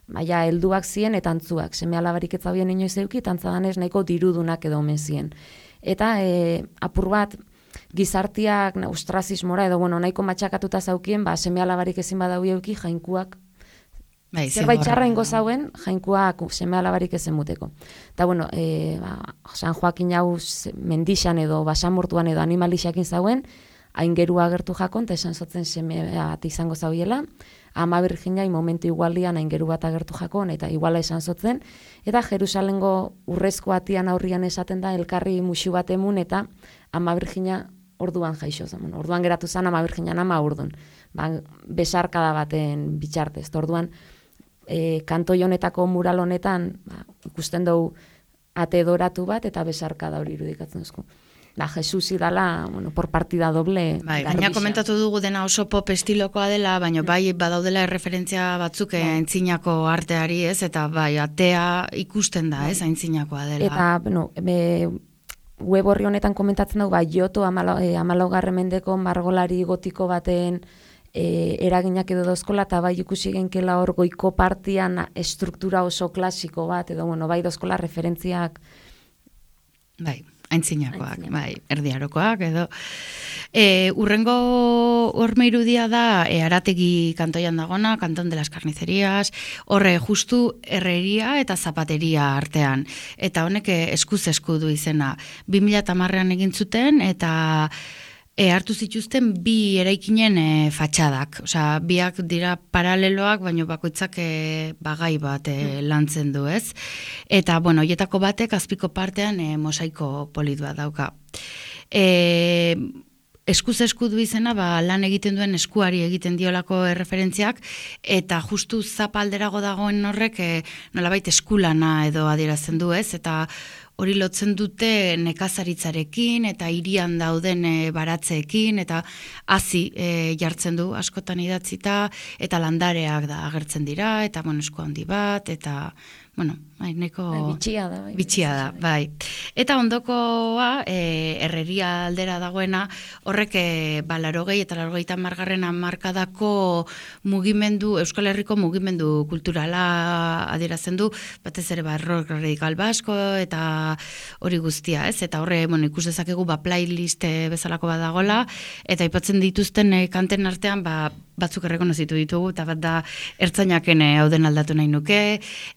baina helduak ziren eta antzuak, seme alabarik ez zaubien inoiz euki, eta antzadanez nahiko dirudunak edo omen ziren. Eta e, apur bat, gizartiak ostrazismora edo bueno, nahiko matxakatuta zaukien, ba, seme alabarik ezin badau euki, jainkuak, bai, zerbait txarra ingo zauen, jainkuak seme alabarik ezen muteko. Eta bueno, e, ba, San Joaquin hau mendixan edo basamortuan edo animalixakin zauen, hain gerua agertu jakon, eta esan zotzen seme bat izango zauiela, Ama Virginai momentu igualian hain geru bat agertu jakon, eta iguala esan zotzen, eta Jerusalengo urrezko atian aurrian esaten da, elkarri musu bat emun, eta Ama Virgina orduan jaixo zen. Orduan geratu zen Ama Virginan ama urdun. Ba, besarkada baten bitxartez. Orduan, e, kantoi honetako mural honetan, ba, ikusten dugu ate doratu bat, eta besarkada hori irudikatzen duzku. Da, Jesus idala, bueno, por partida doble. Bai, baina komentatu dugu dena oso pop estilokoa dela, baina bai badaudela erreferentzia batzuk aintzinako arteari, ez? Eta bai, atea ikusten da, ez? Aintzinakoa dela. Eta, bueno, be, web horri honetan komentatzen dugu, bai, Joto amalaugarren mendeko margolari gotiko baten e, eraginak edo dozkola, eta bai ikusi genkela hor goiko partian estruktura oso klasiko bat, edo, bueno, bai dozkola referentziak. Bai. Aintzinakoak, bai, erdiarokoak, edo. E, urrengo horme irudia da, e, Arategi kantoian dagona, Kanton de las Carnicerías, horre justu herreria eta zapateria artean. Eta honek eskuz esku du izena. bi mila hamarrean egin zuten, eta E, hartu zituzten bi eraikinen e, fatxadak. Osea, biak dira paraleloak, baina bakoitzak e, bagai bat e, lantzen du, ez? Eta, bueno, hoietako batek azpiko partean e, mosaiko polit bat dauka. E, eskuz esku du izena, ba, lan egiten duen eskuari egiten diolako erreferentziak, eta justu zapalderago dagoen horrek e, nolabait eskulana edo adierazten du, ez? Eta hori lotzen dute nekazaritzarekin eta hirian dauden e, baratzeekin eta hazi e, jartzen du askotan idatzita eta landareak da agertzen dira eta bueno, esku handi bat eta bueno, bai, neko bitxia da, bai. Bitxia da, bai. Eta ondokoa, e, herreria aldera dagoena, horrek e, ba, larogei eta larogeita margarren hamarkadako mugimendu, Euskal Herriko mugimendu kulturala adierazten du, batez ere ba, rock radikal basko eta hori guztia, ez? Eta horre, bueno, ikus dezakegu ba, playlist bezalako bat dagola, eta aipatzen dituzten e, kanten artean, ba, batzuk errekonozitu ditugu, eta bat da ertzainaken e, hauden aldatu nahi nuke,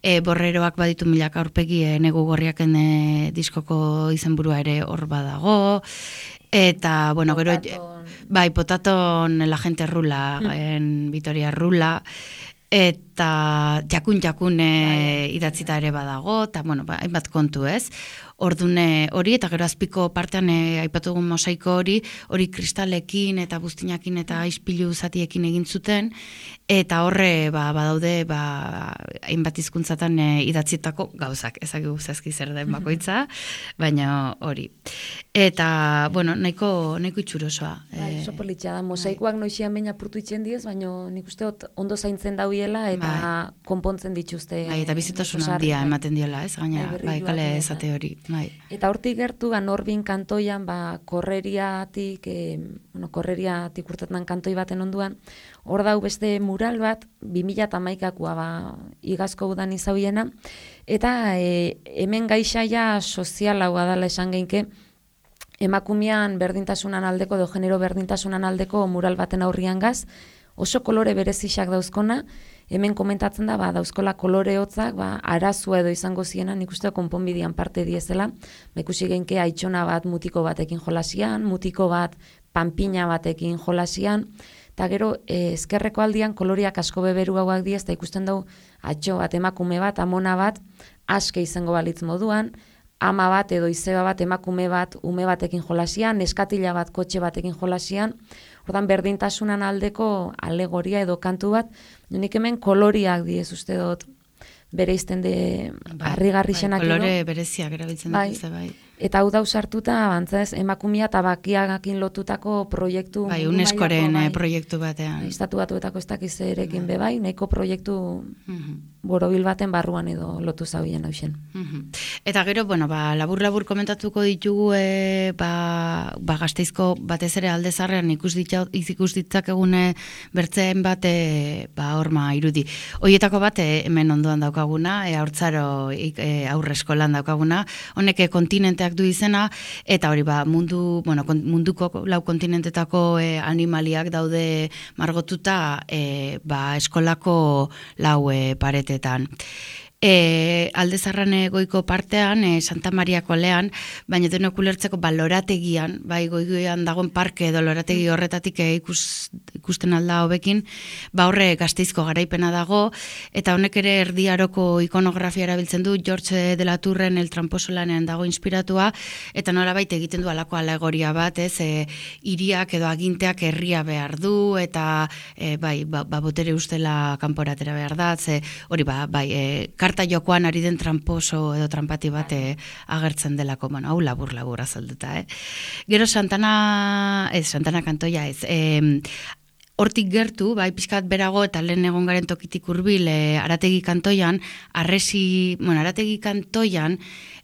e, borreroak baditu milaka aurpegi e, negu gorriaken e, diskoko izenburua ere hor badago, eta, bueno, gero, bai, Potaton la gente rula, en Vitoria rula, eta jakun-jakun e, idatzita ere badago, eta, bueno, ba, hainbat kontu, ez? Ordune hori, eta gero azpiko partean e, aipatugun mosaiko hori, hori kristalekin eta buztinakin eta ispilu zatiekin egin zuten, eta horre ba, badaude ba, hainbat hizkuntzatan e, idatzitako gauzak, ezagigu zazki zer den bakoitza, baina hori. Eta, bueno, nahiko, nahiko itxurosoa. Bai, oso politxa da, mosaikoak noixian baina apurtu itxen diez, baina nik uste ondo zaintzen dauiela eta bai. Konpontzen dituzte. Bai, eta bizitasun handia ematen diola, ez? Gaina, bai, bai kale ezate hori. Bai. Eta hortik gertu, Norbin kantoian, ba, korreriatik, e, bueno, korreriatik urtetan kantoi baten onduan, hor dau beste mural bat, bi mila hamaikakoa, ba, igazko udan izauiena, eta e, hemen gaixaia sozial hau adala esan geinke, emakumean berdintasunan aldeko, edo genero berdintasunan aldeko mural baten aurrian gaz, oso kolore berezixak dauzkona, hemen komentatzen da, ba, dauzkola kolore hotzak, ba, arazua edo izango ziena, nik uste konponbidean parte diezela, ba, ikusi genke aitxona bat mutiko batekin jolasian, mutiko bat panpina batekin jolasian, eta gero e, ezkerreko aldian koloriak asko beberu hauak diez, eta ikusten dugu atxo bat, emakume bat, amona bat, aske izango balitz moduan, ama bat edo izeba bat, emakume bat, ume batekin jolasian, neskatila bat, kotxe batekin jolasian, ordan berdintasunan aldeko alegoria edo kantu bat, nik hemen koloriak diez uste dut, bere izten de harrigarri xenak. Bai, kolore bereziak erabiltzen bai. dituzte, bai. Eta hau da usartuta, bantzaz, emakumia eta bakiagakin lotutako proiektu... Bai, UNESCOren bai, proiektu batean. Estatu batuetako ez dakiz erekin be bai, nahiko proiektu uh-huh. borobil baten barruan edo lotu zaubien hausen. Uh-huh. Eta gero, bueno, ba, labur-labur komentatuko ditugu e, ba, ba, Gasteizko batez ere aldezarrean ikus ditzak egune bertzen bat e, ba, horma irudi. Hoietako bat e, hemen ondoan daukaguna, e, haurtzaro e, aurre eskolan daukaguna, honek kontinenteak du izena, eta hori ba, mundu, bueno, munduko lau kontinentetako e, animaliak daude margotuta e, ba, eskolako lau e, paretetan. E, aldezarran goiko partean, e, Santa Maria kolean, baina denok ulertzeko ba, lorategian, bai goigoian dagoen parke edo lorategi horretatik e, ikus, ikusten alda hobekin, ba horre Gasteizko garaipena dago, eta honek ere erdiaroko ikonografia erabiltzen du, George de la Tourren El Tramposo lanean dago inspiratua, eta norabait egiten du alako alegoria bat, ez, e, hiriak edo aginteak herria behar du, eta e, bai, ba, ba botere ustela kanporatera behar da, ze, hori ba, bai, e, karta jokoan ari den tramposo edo trampati bat agertzen delako, bueno, hau labur-labur azalduta, eh? Gero Santana, ez, Santana kantoia ez, eh, hortik gertu, bai, pixkat berago eta lehen egon garen tokitik hurbil e, Arategi kantoian, arresi, bueno, Arategi kantoian,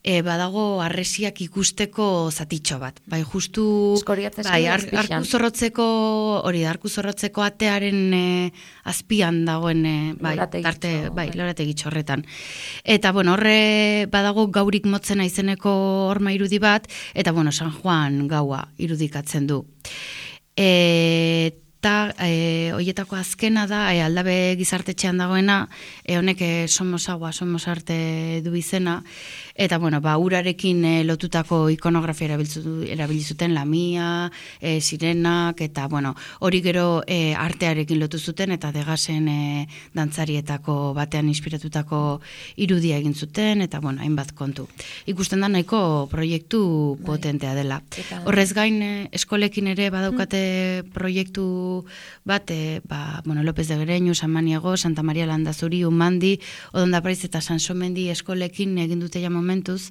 e, badago arresiak ikusteko zatitxo bat. Bai, justu, bai, ar, arku zorrotzeko, hori da, arku zorrotzeko atearen e, azpian dagoen, e, bai, tarte, bai, lorategi txorretan. Eta, bueno, horre badago gaurik motzena izeneko horma irudi bat, eta, bueno, San Juan gaua irudikatzen du. Eta, eta e, hoietako azkena da, e, aldabe gizartetxean dagoena, e, honek e, somos agua, somos arte du izena, eta bueno, ba, urarekin e, lotutako ikonografia erabilizuten lamia, e, sirenak, eta bueno, hori gero e, artearekin lotu zuten, eta Degasen e, dantzarietako batean inspiratutako irudia egin zuten, eta bueno, hainbat kontu. Ikusten da nahiko proiektu potentea dela. Horrez gain, e, eskolekin ere badaukate proiektu bat, e, ba, bueno, López de Gereñu, San Maniago, Santa Maria Landazuri, Umandi, Odonda Praiz eta Sansomendi eskolekin egin dute ja momentuz.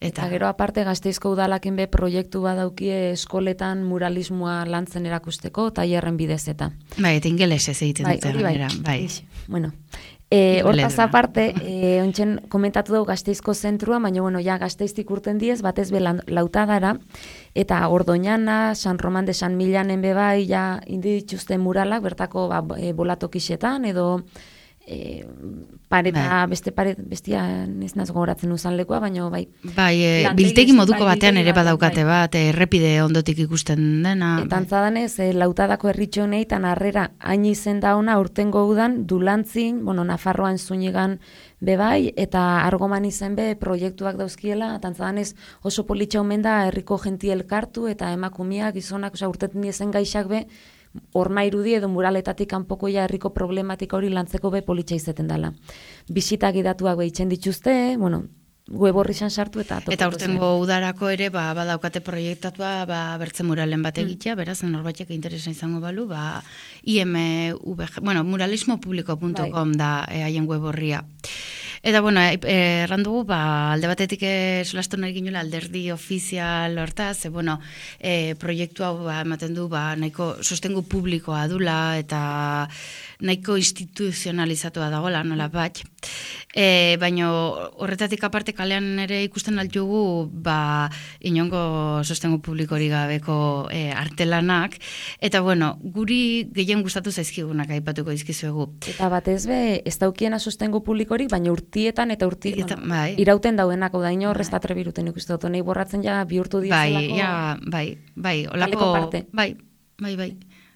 Eta, eta gero aparte Gasteizko udalakin be proiektu badaukie eskoletan muralismoa lantzen erakusteko, tailerren bidez eta. Bai, eta ingelesez egiten bai, dute. Bai, bai. Bueno, e, hortaz aparte, e, ontsen komentatu dugu Gasteizko zentrua, baina bueno, ja Gasteiztik urten diez, batez be lautadara, eta Ordoñana, San Roman de San Milanen be bai, ja indi dituzte muralak, bertako ba, e, bolatokixetan, edo e, pareta, bai. beste paret, bestia ez naz gogoratzen uzan lekoa, baina bai. Bai, e, biltegi moduko bai, batean ere badaukate bai. bat, errepide ondotik ikusten dena. Eta antzadanez, e, lautadako herritxonei tan harrera hain izen da ona urtengo udan, dulantzin, bueno, Nafarroan zuinigan bebai, eta argoman izen be proiektuak dauzkiela, eta antzadanez oso politxa omen da herriko jenti elkartu, eta emakumiak, gizonak, oza, urtetan diezen gaixak be, horma irudi edo muraletatik kanpokoia herriko problematika hori lantzeko be politxa izeten dela. Bisitak idatuak behitzen dituzte, bueno, web horri sartu eta... Eta urtengo udarako ere, ba, badaukate proiektatua, ba, bertze muralen bat egitea, beraz, norbaitek interesa izango balu, ba, I M V G, bueno, muralismo publiko punto com da haien web horria. Eta, bueno, errandugu, ba, alde batetik solastu nahi ginoela alderdi ofizial hortaz, e, bueno, e, proiektu hau ba, ematen du, ba, nahiko sostengu publikoa dula, eta nahiko instituzionalizatua dagoela, nola bat. E, baina horretatik aparte kalean ere ikusten altugu, ba, inongo sostengu publikori gabeko e, artelanak, eta, bueno, guri gehien gustatu zaizkigunak aipatuko izkizuegu. Eta batez be, ez daukiena sostengu publikorik, baina urte urtietan eta urti, Eta, bueno, bai. irauten dauenako da ino horrez atrebiruten ikusten dut, nahi borratzen ja bihurtu bai, dizelako. Ja, bai, bai, olako, bai, bai, bai.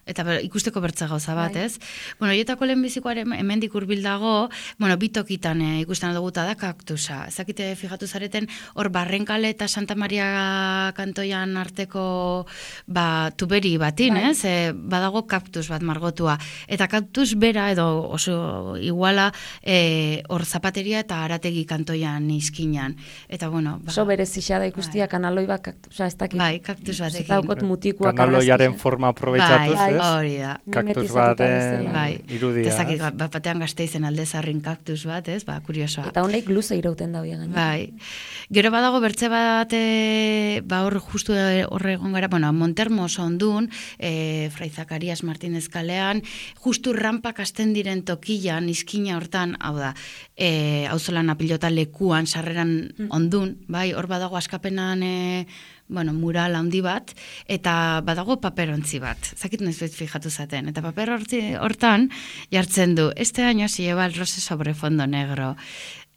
Eta ber, ikusteko bertza gauza bat, bai. Ez? Bueno, hietako lehenbizikoaren hemendik hurbil dago, bueno, bitokitan e, ikusten duguta da kaktusa. Ezakite fijatu zareten, hor Barrenkale eta Santa Maria kantoian arteko ba, tuberi batin, bai. Ez? E, badago kaktus bat margotua. Eta kaktus bera edo oso iguala e, hor zapateria eta Arategi kantoian izkinan. Eta bueno, ba, oso berezia da ikustia bai. Kanaloi bat kaktusa, ez dakit. Bai, kaktus bat egin. Daukot mutikoak kanaloiaren forma aprobetxatuz. Bai, ez? Hori da. Kaktus baten irudia. Eta zakit, bat batean Gasteizen Aldezarrin kaktus bat, ez? Ba, kuriosoa. Eta honek luze irauten da biagan. Bai. Gero badago bertze bat, e, ba hor justu horre egon gara, bueno, Montermos ondun, e, Fray Zakarias Martínez kalean, justu rampak hasten diren tokian, izkina hortan, hau da, e, auzolana pilota lekuan, sarreran ondun, bai, hor badago askapenan, e, bueno, mural handi bat, eta badago paperontzi bat. Zakit noiz bet fijatu zaten. Eta paper hortan jartzen du, este año se lleva el rose sobre fondo negro.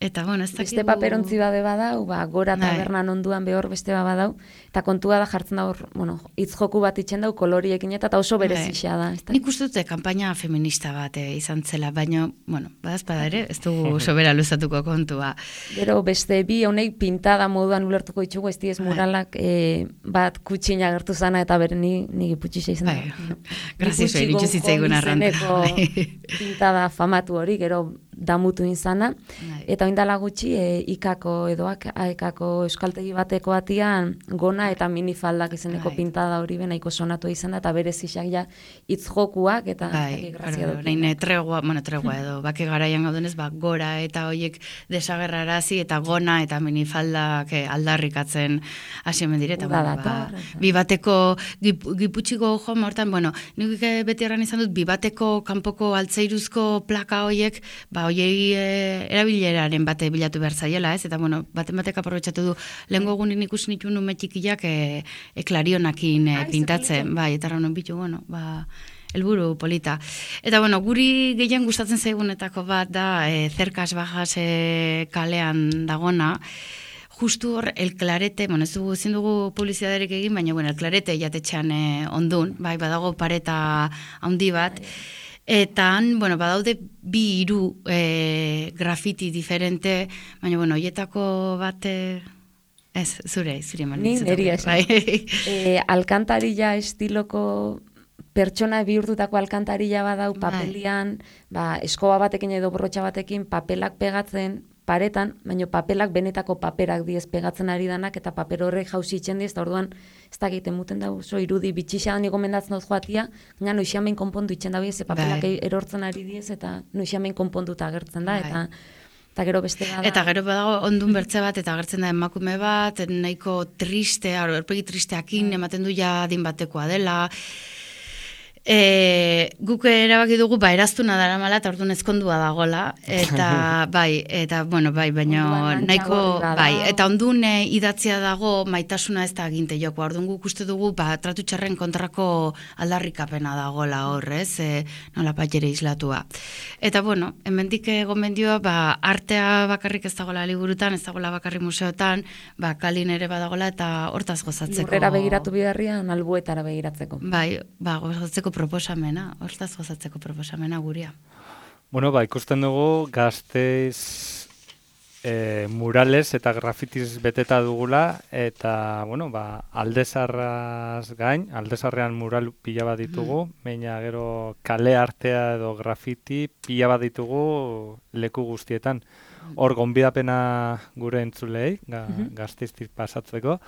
Eta, bueno, ez dakigu... Beste paperontzi bade badau, ba, gora tabernan onduan behor beste ba badau, eta kontua da jartzen da hor, bueno, hitz joku bat itxen dau koloriekin eta oso berezia da. Nik uste dute kanpaina feminista bat eh, izan zela, baina, bueno, badazpada ere, ez dugu sobera luzatuko kontua. Gero beste bi honek pintada moduan ulertuko ditugu, ez diez muralak e, bat kutsina gertu zana eta bere ni, ni giputxixa izan da. Grazioso, iritsu zitzaigun arranta. Pintada famatu hori, gero damutu izana, eta oindala gutxi e, ikako edoak, aekako euskaltegi bateko atian gona eta minifaldak izeneko bai. Pintada hori benaiko sonatu izan da, eta berez isak ja hitz jokuak, eta bai, grazia dut. Nahin tregua, bueno, tregua edo, bake garaian gaudenez, ba, gora eta hoiek desagerrarazi, eta gona eta minifaldak aldarrikatzen hasi hemen dire, eta bueno, ba, bibateko gip, giputxiko joan hortan, bueno, nik beti erran izan dut, bibateko kanpoko altzairuzko plaka hoiek, ba, hoiei e, erabileraren bate bilatu behar zaiela, ez? Eta, bueno, baten batek aprobetxatu du, lehenko egunin ikusi nitu nume txikiak e, e klarionakin e, pintatzen, bai, eta raunen bitu, bueno, ba, helburu polita. Eta, bueno, guri gehien gustatzen zaigunetako bat da, e, zerkas bajas e, kalean dagona, justu hor, el clarete, bueno, ez dugu, ezin dugu publizidaderik egin, baina, bueno, el clarete jatetxean e, ondun, bai, badago pareta handi bat, eta, bueno, badaude bi hiru e, grafiti diferente, baina, bueno, hoietako bat, e, ez, zure, zure eman. Ni, neri esan. Bai. e, alkantarilla estiloko pertsona bihurtutako alkantarilla badau papelian, ba, eskoba batekin edo borrotxa batekin papelak pegatzen, paretan, baina papelak benetako paperak diez pegatzen ari danak, eta paper horrek jauzi itxen diez, eta orduan, ez da egiten muten da, oso irudi bitxixa da niko mendatzen dut joatia, gaina noixiamen konpondu itxen da, ze papelak bai. Erortzen ari diez, eta noixiamen konponduta agertzen da, eta eta gero beste bada. Eta gero badago ondun bertze bat, eta agertzen da emakume bat, nahiko triste, aurpegi tristeakin, ematen du ja adin batekoa dela. E, guk erabaki dugu ba eraztuna daramala eta orduan ezkondua dagola eta bai eta bueno bai baina nahiko bai eta ondun e, idatzia dago maitasuna ez da aginte joko. Orduan guk uste dugu ba tratu txarren kontrako aldarrikapena dagola hor, ez? E, nola paiere islatua. Eta bueno, hemendik gomendioa ba artea bakarrik ez dagola liburutan, ez dagola bakarrik museotan, ba kalin ere badagola eta hortaz gozatzeko. Lurrera begiratu bidarrian albuetara begiratzeko. Bai, ba gozatzeko proposamena, hortaz gozatzeko proposamena guria. Bueno, ba, ikusten dugu Gasteiz e, murales eta grafitiz beteta dugula, eta, bueno, ba, aldezarraz gain, aldezarrean mural pila bat ditugu, mm. baina gero kale artea edo grafiti pila bat ditugu leku guztietan. Hor, gonbidapena gure entzulei, ga, mm-hmm. Gasteiztik pasatzeko,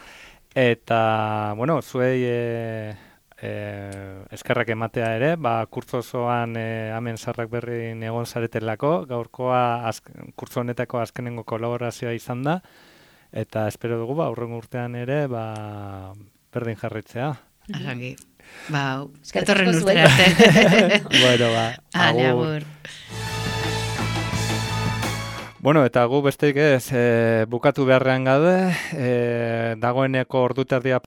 eta, bueno, zuei... E, Eh, eskerrak ematea ere, ba, kurtzo osoan eh, hemen Sarrak Berrin egon zaretelako, gaurkoa azk, kurtzo honetako azkenengo kolaborazioa izan da, eta espero dugu, ba, aurrengo urtean ere, ba, berdin jarritzea. Arrangi, ba, etorren urtera arte. Bueno, ba, Ale, agur. Bueno, eta gu besteik ez, e, bukatu beharrean gaude, e, dagoeneko orduterdia